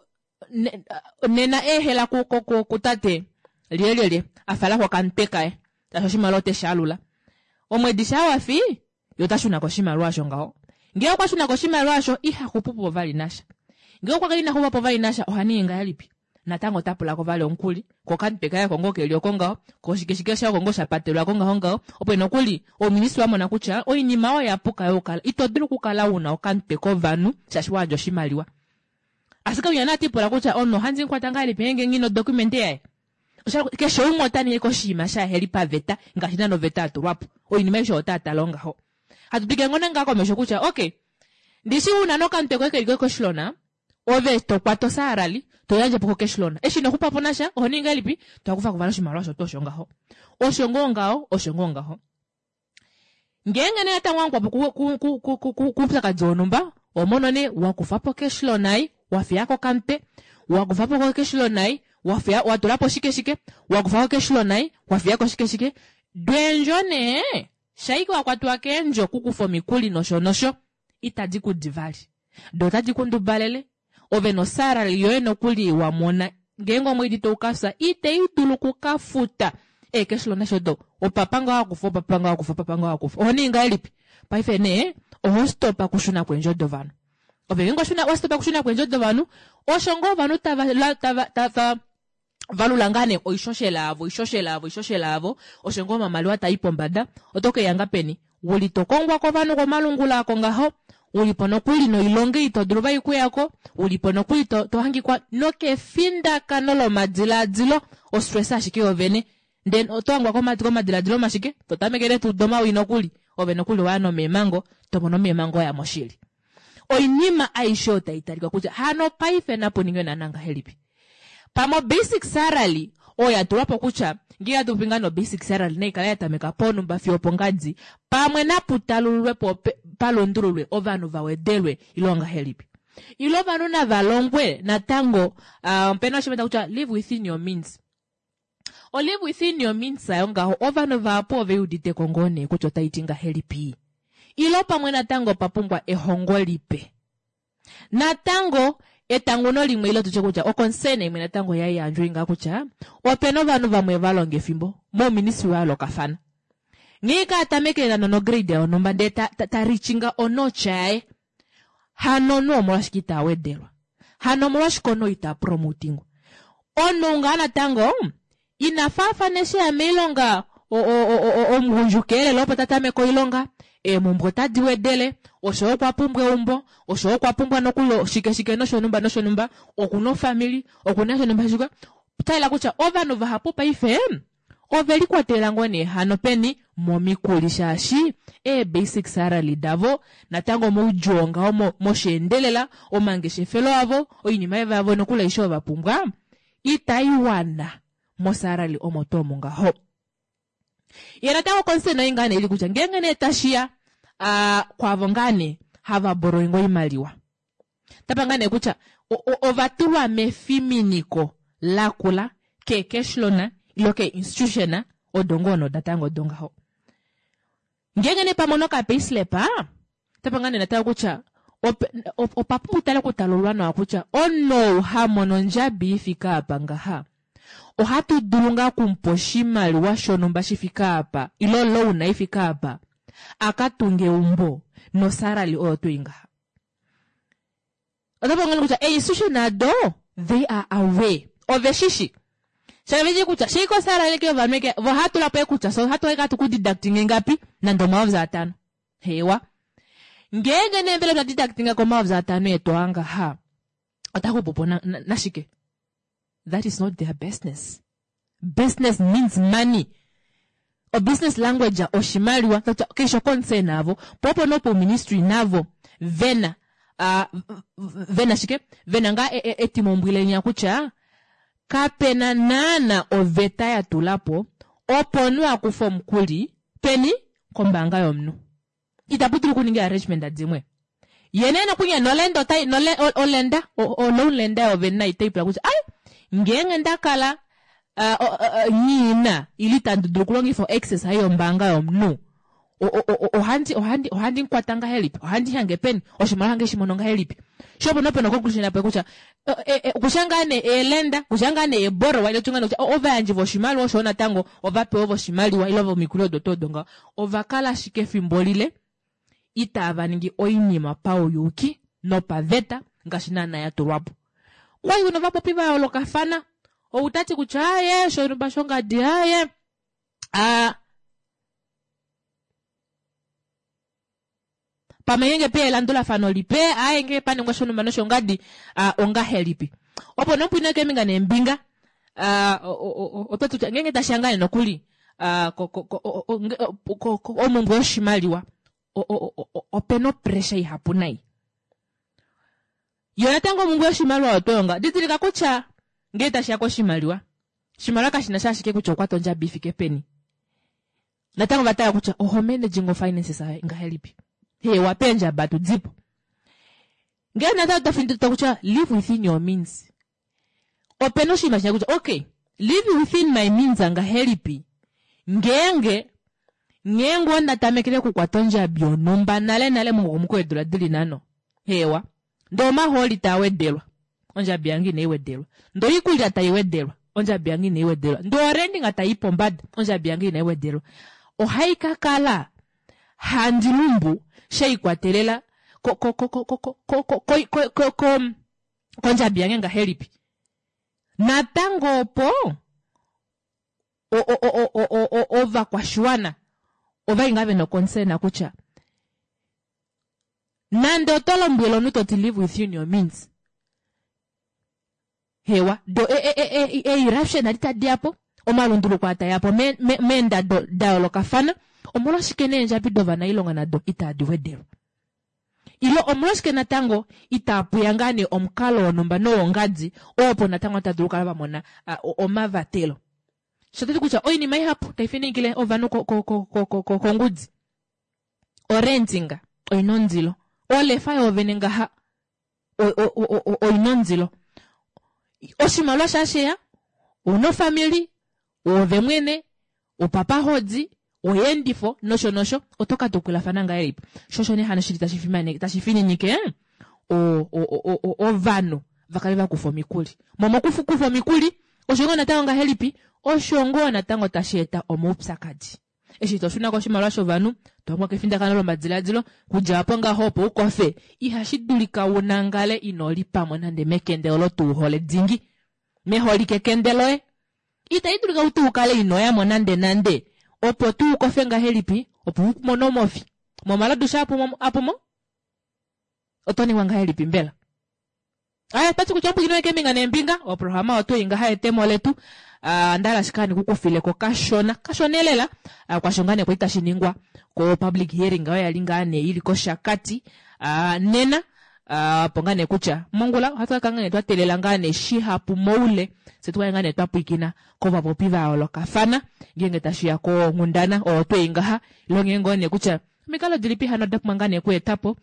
ne, nena eehela ku, ku, ku, kutate lyelyelye afala kokamutwe kaye tashi oshimaliwa oteshi alula omwedi shaa wafi ye ota shuna koshimaliwa osho ngaho ngee okwa shuna koshimaliwa osho iha xupupo vali nasha ngee okwa kala ina xupapo vali nasha oha ningi ngahelipi natango ota pulako vali omukuli kokamutwe kaye oko ngoo keli oko ngaho koshikeshike shaye oko ngoo shapatelwako ngaho ngaho opo nokuli ouministry wamona kutya oinima oyo yapuka yokukala ito dulu okukala una okamutwe kovanhu shaashi wayandja oshimaliwa ashike unya natipula kutya omunhu ohandi mukwata ngahelipi ngeenge nghina odocumente yaye keshe umwe ota ningi koshinima shaheli paveta ngaashi naana oveta yatulwapo oinima aishe ota tala ngaho hatu twike ngoo ngaa komesho kutya okay ndishi una nokamutwe koye keli koshilona ove tokwata osalary toyandje po ko-cash loan eshi ino xupapo nasha oho ningi ngahelipi tokufa ko vali oshimaliwa osho tuu osho ngaho osho ngoo ngaho osho ngoo ngaho ngeenge nee natango wamukwapa kuupyakadi wonhumba omono nee wakufapo cash loan ai wafiyako okamutwe wakufapo ko cash loan ai wafiya watulapo shike shike wakufako cash loan ai wafiyako shike shike dweendjo nee shaike wakwatiwa keendjo kukufa omikuli nosho nosho itadi kudi vali do otadi kundubalele ove nosalary yoye nokuli wamona Ngeenge omwedi toukafya ite i dulu okukafuta ecash loan nasho opapa nga wakufa opapa nga wakufa opapa nga wakufa oho ningi ngahelipi paife nee oho stopa kushuna kweendjo dovanhu. Ove ngeenge washuna wastopa kushuna kweendjo dovanhu osho ngoo ovanhu tava tava tava valula ngaa nee oishoshela yavo oishoshela yavo oishoshela yavo osho ngoo omamaliwa tai pombada oto keya peni uli tokongwa kovanhu komalungula ako ngaho ulipo nokuli noilonga ito dulu vai kuyako ulipo nokuli to, tohangikwa nokefindakano lomadilaadilo ostress ashike yovene then oto hangwa komadilaadilo mashike totamekele tuu domawi nokuli ove nokuli waya nomeemango tomono meemango ya moshili. Oinima aishe otai talika kutya hano paife napo ningwe naana ngahelipi. Pamo basic salary oyo yatulwapo kutya ngee hatu no basic salary naikala yatameka ponumba fiyo pongadi pamwe naputalululwe po palundululwe ovanhu vawedelwe ilo ngahelipi. Ilo ovanhu navalongwe natango uh, opena oshimeta kutya live within your means. O live within your means ayo ngaho ovanhu vahapu ove uditeko ngoo nee kutya otaiti ngahelipi. Ilo pamwe natango papumbwa ehongo lipe. Natango etanguno limwe ilo tutye kutya oconcern imwe natango yayandjwa inga kutya opena ovanhu vamwe valonga efimbo mouministry wa yoolokafana. Nghee ka tamekele no grade yonhumba ndee ta, ta, ta reachinga onotch yaye hano nu omolwashike ita wedelwa. Hano omolwashike ono ita promotingwa. Omunhu ngaa natango ina faafana eshi ya moilonga omugundjuka elela opo tatameke oilonga eemumbwe otadi wedele osho okwa pumbwa eumbo osho okwa pumbwa nokuli shike shike noshonumba noshonumba okuna ofamili okuna shonumba shike taila kutya ovanhu vahapu paife ove likwatelela ngoo nee hano peni momikuli shaashi ee basic salary davo natango moudjuu ngaho mosheendelela omangeshefelo avo oinima yavo nokuli aishe oyo vapumbwa itai wana mosalary omo tuu omo ngaho. Ye natango concern oyi ngaa nee ili kutya ngeenge nee tashiya uh, kwavo ngaa nee hava borrowing oimaliwa tapa ngaa nee kutya ovatulwa mefiminiko lakula ke cash loan ilo ke institution odo ngoo nodatango odo ngaho. Ngeenge nee pamono ka payslip tapa ngaa nee natango kutya opapumbwa tale kutalulwa nawa kutya omunhu hamono ondjabi ifika apa ngaha ohatu dulu ngaa kumupa oshimaliwa shonhumba shifika apa ilo loan ifika apa akatunge eumbo nosalary oyo tuu ngaha. Otapo ngoo kutya institution ado they are aware ove shishi shaveji kutya shiko salary ke ovanhu ke vo hatula po kutya so hatu eka tuku deducting ngapi nande omayovi atano hewa ngeenge nee mbela twa deducting ko omayovi atano etu angaha otakupupo nashike na, that is not their business. Business means money. O business language oshimaliwa kesho concern avo popo nopo ministry navo vena uh, vena shike vena nga etimombwilenya kutya kapena naana oveta ya tulapo opo nu akufa omukuli peni kombaanga yomunhu. Itapu dulu kuninga arrangement dimwe. Ye nee nokunya nolenda otai nole olenda o loan lenda yovena itaipula kutya ai ngeenge ndakala uh, nyiina ili tandi dulu okulongifa access hai yombaanga yomunhu ohandi ohandi ohandi nkwata ngahelipi ohandi hange peni oshimaliwa hange shimono ngahelipi shopo nopena conclusion yapo kutya kusha ngaa nee eelenda kusha ngaa nee eborrowa ile tunga kutya ovayandji voshimaliwa osho natango ovapewa voshimaliwa ile vomikuli odo tuu odo ngaho ovakala ashike efimbo lile itava ningi oinima pauyuki nopaveta ngaashi naana ya tulwapo. Kwali kuna vapopi va yoolokafana outati kutya aye shonumba shongadi aye a pamwe ngenge pe elandulafano lipe aye ngenge paningwa shonumba noshongadi ongahelipi. Opo nopwina keembinga neembinga oto tutya ngenge tashangane nokuli omumbwe yoshimaliwa opena opressure ihapu nai. Yo natango omumbwe yoshimaliwa otoyonga didilika kutya ngee tashiya koshimaliwa oshimaliwa kashina sha ashike kutya okwata ondjabi ifike peni. Natango vatala kutya oho managing finances ngahelipi. Hewa peendjaba tudipo. Ngee natango tafindilita kutya live within your means. Opena oshinima shina kutya okay live within my means ngahelipi. Ngeenge ngeenge onda tamekele okukwata ondjabi yonhumba nale nale momukokomoko weedula dili nhano. Hewa ndee omahooli taa wedelwa. ondjabi yange inai wedelwa. Ndee oikulya tai wedelwa, ondjabi yange inai wedelwa. Ndee orendinga tai pombada, ondjabi yange inai wedelwa. Ohai ka kala handi lumbu sheikwatelela ko ko ko ko ko ko ko ko ko ko kondjabi yange ngahelipi. Natango opo o o o o o o ovakwashiwana ovali ngaa vena oconcern kutya nande oto lombwele omunhu toti live within your means hewa do e, e, e, e, eruption adi tadi yapo omalunduluko atayapo meendado me, da yoolokafana omolwashike neendjabi dovanailonga nado itadi wedelwa ilo omolwashike natango itapuya ngaa nee omukalo wonhumba nowongadi opo natango tadulu okukala vamona omavatelo sho tati kutya oinima ihapu taifininikile ovanhu kongudi orentinga oina ondilo olefa yoovene ngaha oina ondilo oshimaliwa shasheya ouna ofamili oove mwene opapa hodi oyeendifo nosho nosho oto ka tukulafana ngahelipi sho osho nee hano shili tashi fininike ovanhu vakale vakufa omikuli momokukufa omikuli osho ngoo natango ngahelipi osho ngoo natango tashi eta omaupyakadi eshi toshuna koshimaliwa shovanhu tohangwa kefindakano lomadiladilo kudja apo ngaho opo ukofe ihashi dulika unangale ino lipamo nande mekende olo tuuhole dingi meholike kende loye itai dulika tuu ukale inoyamo nande nande opo tuu ukofe ngahelipi opo umone omofi momalodu sha apumo oto ningwa ngahelipi mbela aya tati kutya ompwikino keembinga neembinga oprograma oto ingaha etemo letu ndala ashike handi kukufileko kashona kashona elela kwasho ngaa nee kwali tashi ningwa ko public hearing oyo yali ngaa nee ili kOshakati nena opo ngaa nee kutya mongula ohatu ka kala ngaa nee twa teelela ngaa nee shihapu moule fye tukale ngaa nee twa pwiikina kovapopi va yoolokafana ngeenge tashiya konghundana oyo twei ngaha ilo ngee ngoo nee kutya omikalo dilipi hano da pumbwa ngaa nee okweetapo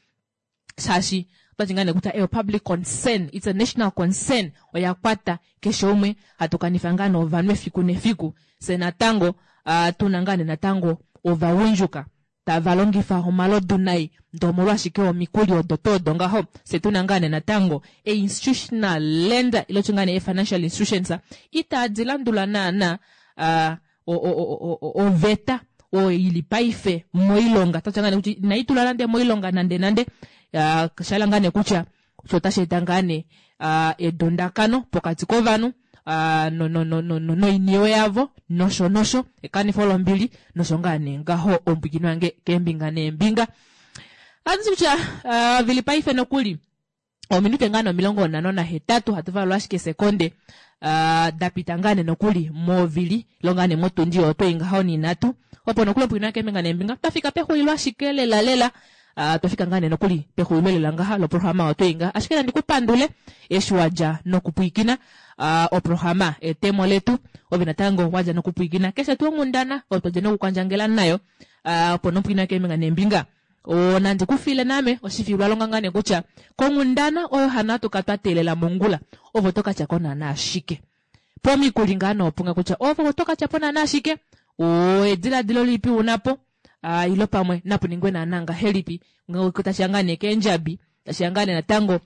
shaashi otwati ngaa nee kutya eyo public concern it's a national concern oya kwata keshe umwe hatu kanifa ngaa nee ovanhu efiku nefiku fye natango uh, tuna ngaa nee natango ovagundjuka tava longifa omalodu nai ndee omolwashike omikuli odo tuu odo ngaho fye tuna ngaa nee natango e-institutional lender ilo tye ngaa nee e-financial institutions itadi landula naana uh, oveta oyo ili paife moilonga tatya ngaa nee kutya inayi tula nande moilonga nande nande uh, shala ngaa nee kutya osho otashi eta ngaa nee uh, edundakano pokati kovanhu uh, no, no, no, no, no, noiniwe yavo nosho nosho ekanifo lombili nosho ngaa nee ngaho ombwikino yange keembinga neembinga atuti kutya uh, vili paife nokuli ominute ngaa nee omilongo nhano nahetatu hatu valula ashike sekonde uh, dapita ngaa nee nokuli movili ilo ngaa nee motundi oyo twei ngaho ninhatu opo nokuli ombwikino yange keembinga neembinga twafika pexulilo ashike lela lela Uh, twafika ngaa nee nokuli pexulilo lela ngaha loprograma oyo twei ngaha ashike nandi kupandule eshi wadja nokupwiikina uh, oprograma etemo letu ove natango wadja nokupwiikina keshe tuu onghundana oyo twadja nokukwandjangela nayo uh, opo nopwiikina keembinga neembinga o nandi kufile name oshifilwa longa ngaa nee kutya konghundana oyo hano hatu ka twa teelela mongula ovo tokatyako naana ashike pomikuli ngaa noopunga kutya ovo tokatyapo naana ashike o ediladilo lilipi unapo uh, ilo pamwe napu ningwe naana ngahelipi tashiya ngaa nee keendjabi tashiya ngaa nee natango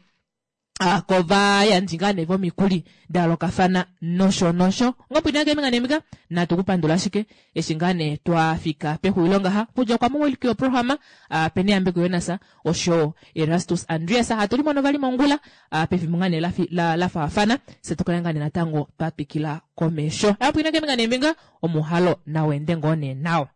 uh, kovayandji ngaa nee vomikuli da yoolokafana nosho nosho ngopwina keembinga neembinga natu kupandula ashike eshi ngaa nee twafika pexulilo ngaha kudja kwa muwiliki woprograma uh, Peni Yambeko Jonas osho Erastus Andreas hatu limono vali mongula uh, pefimbo ngaa nee la, la, la faafana fye tukale ngaa nee natango twatwikila komesho apwina keembinga neembinga omuhalo nawende ngoo nee nawa.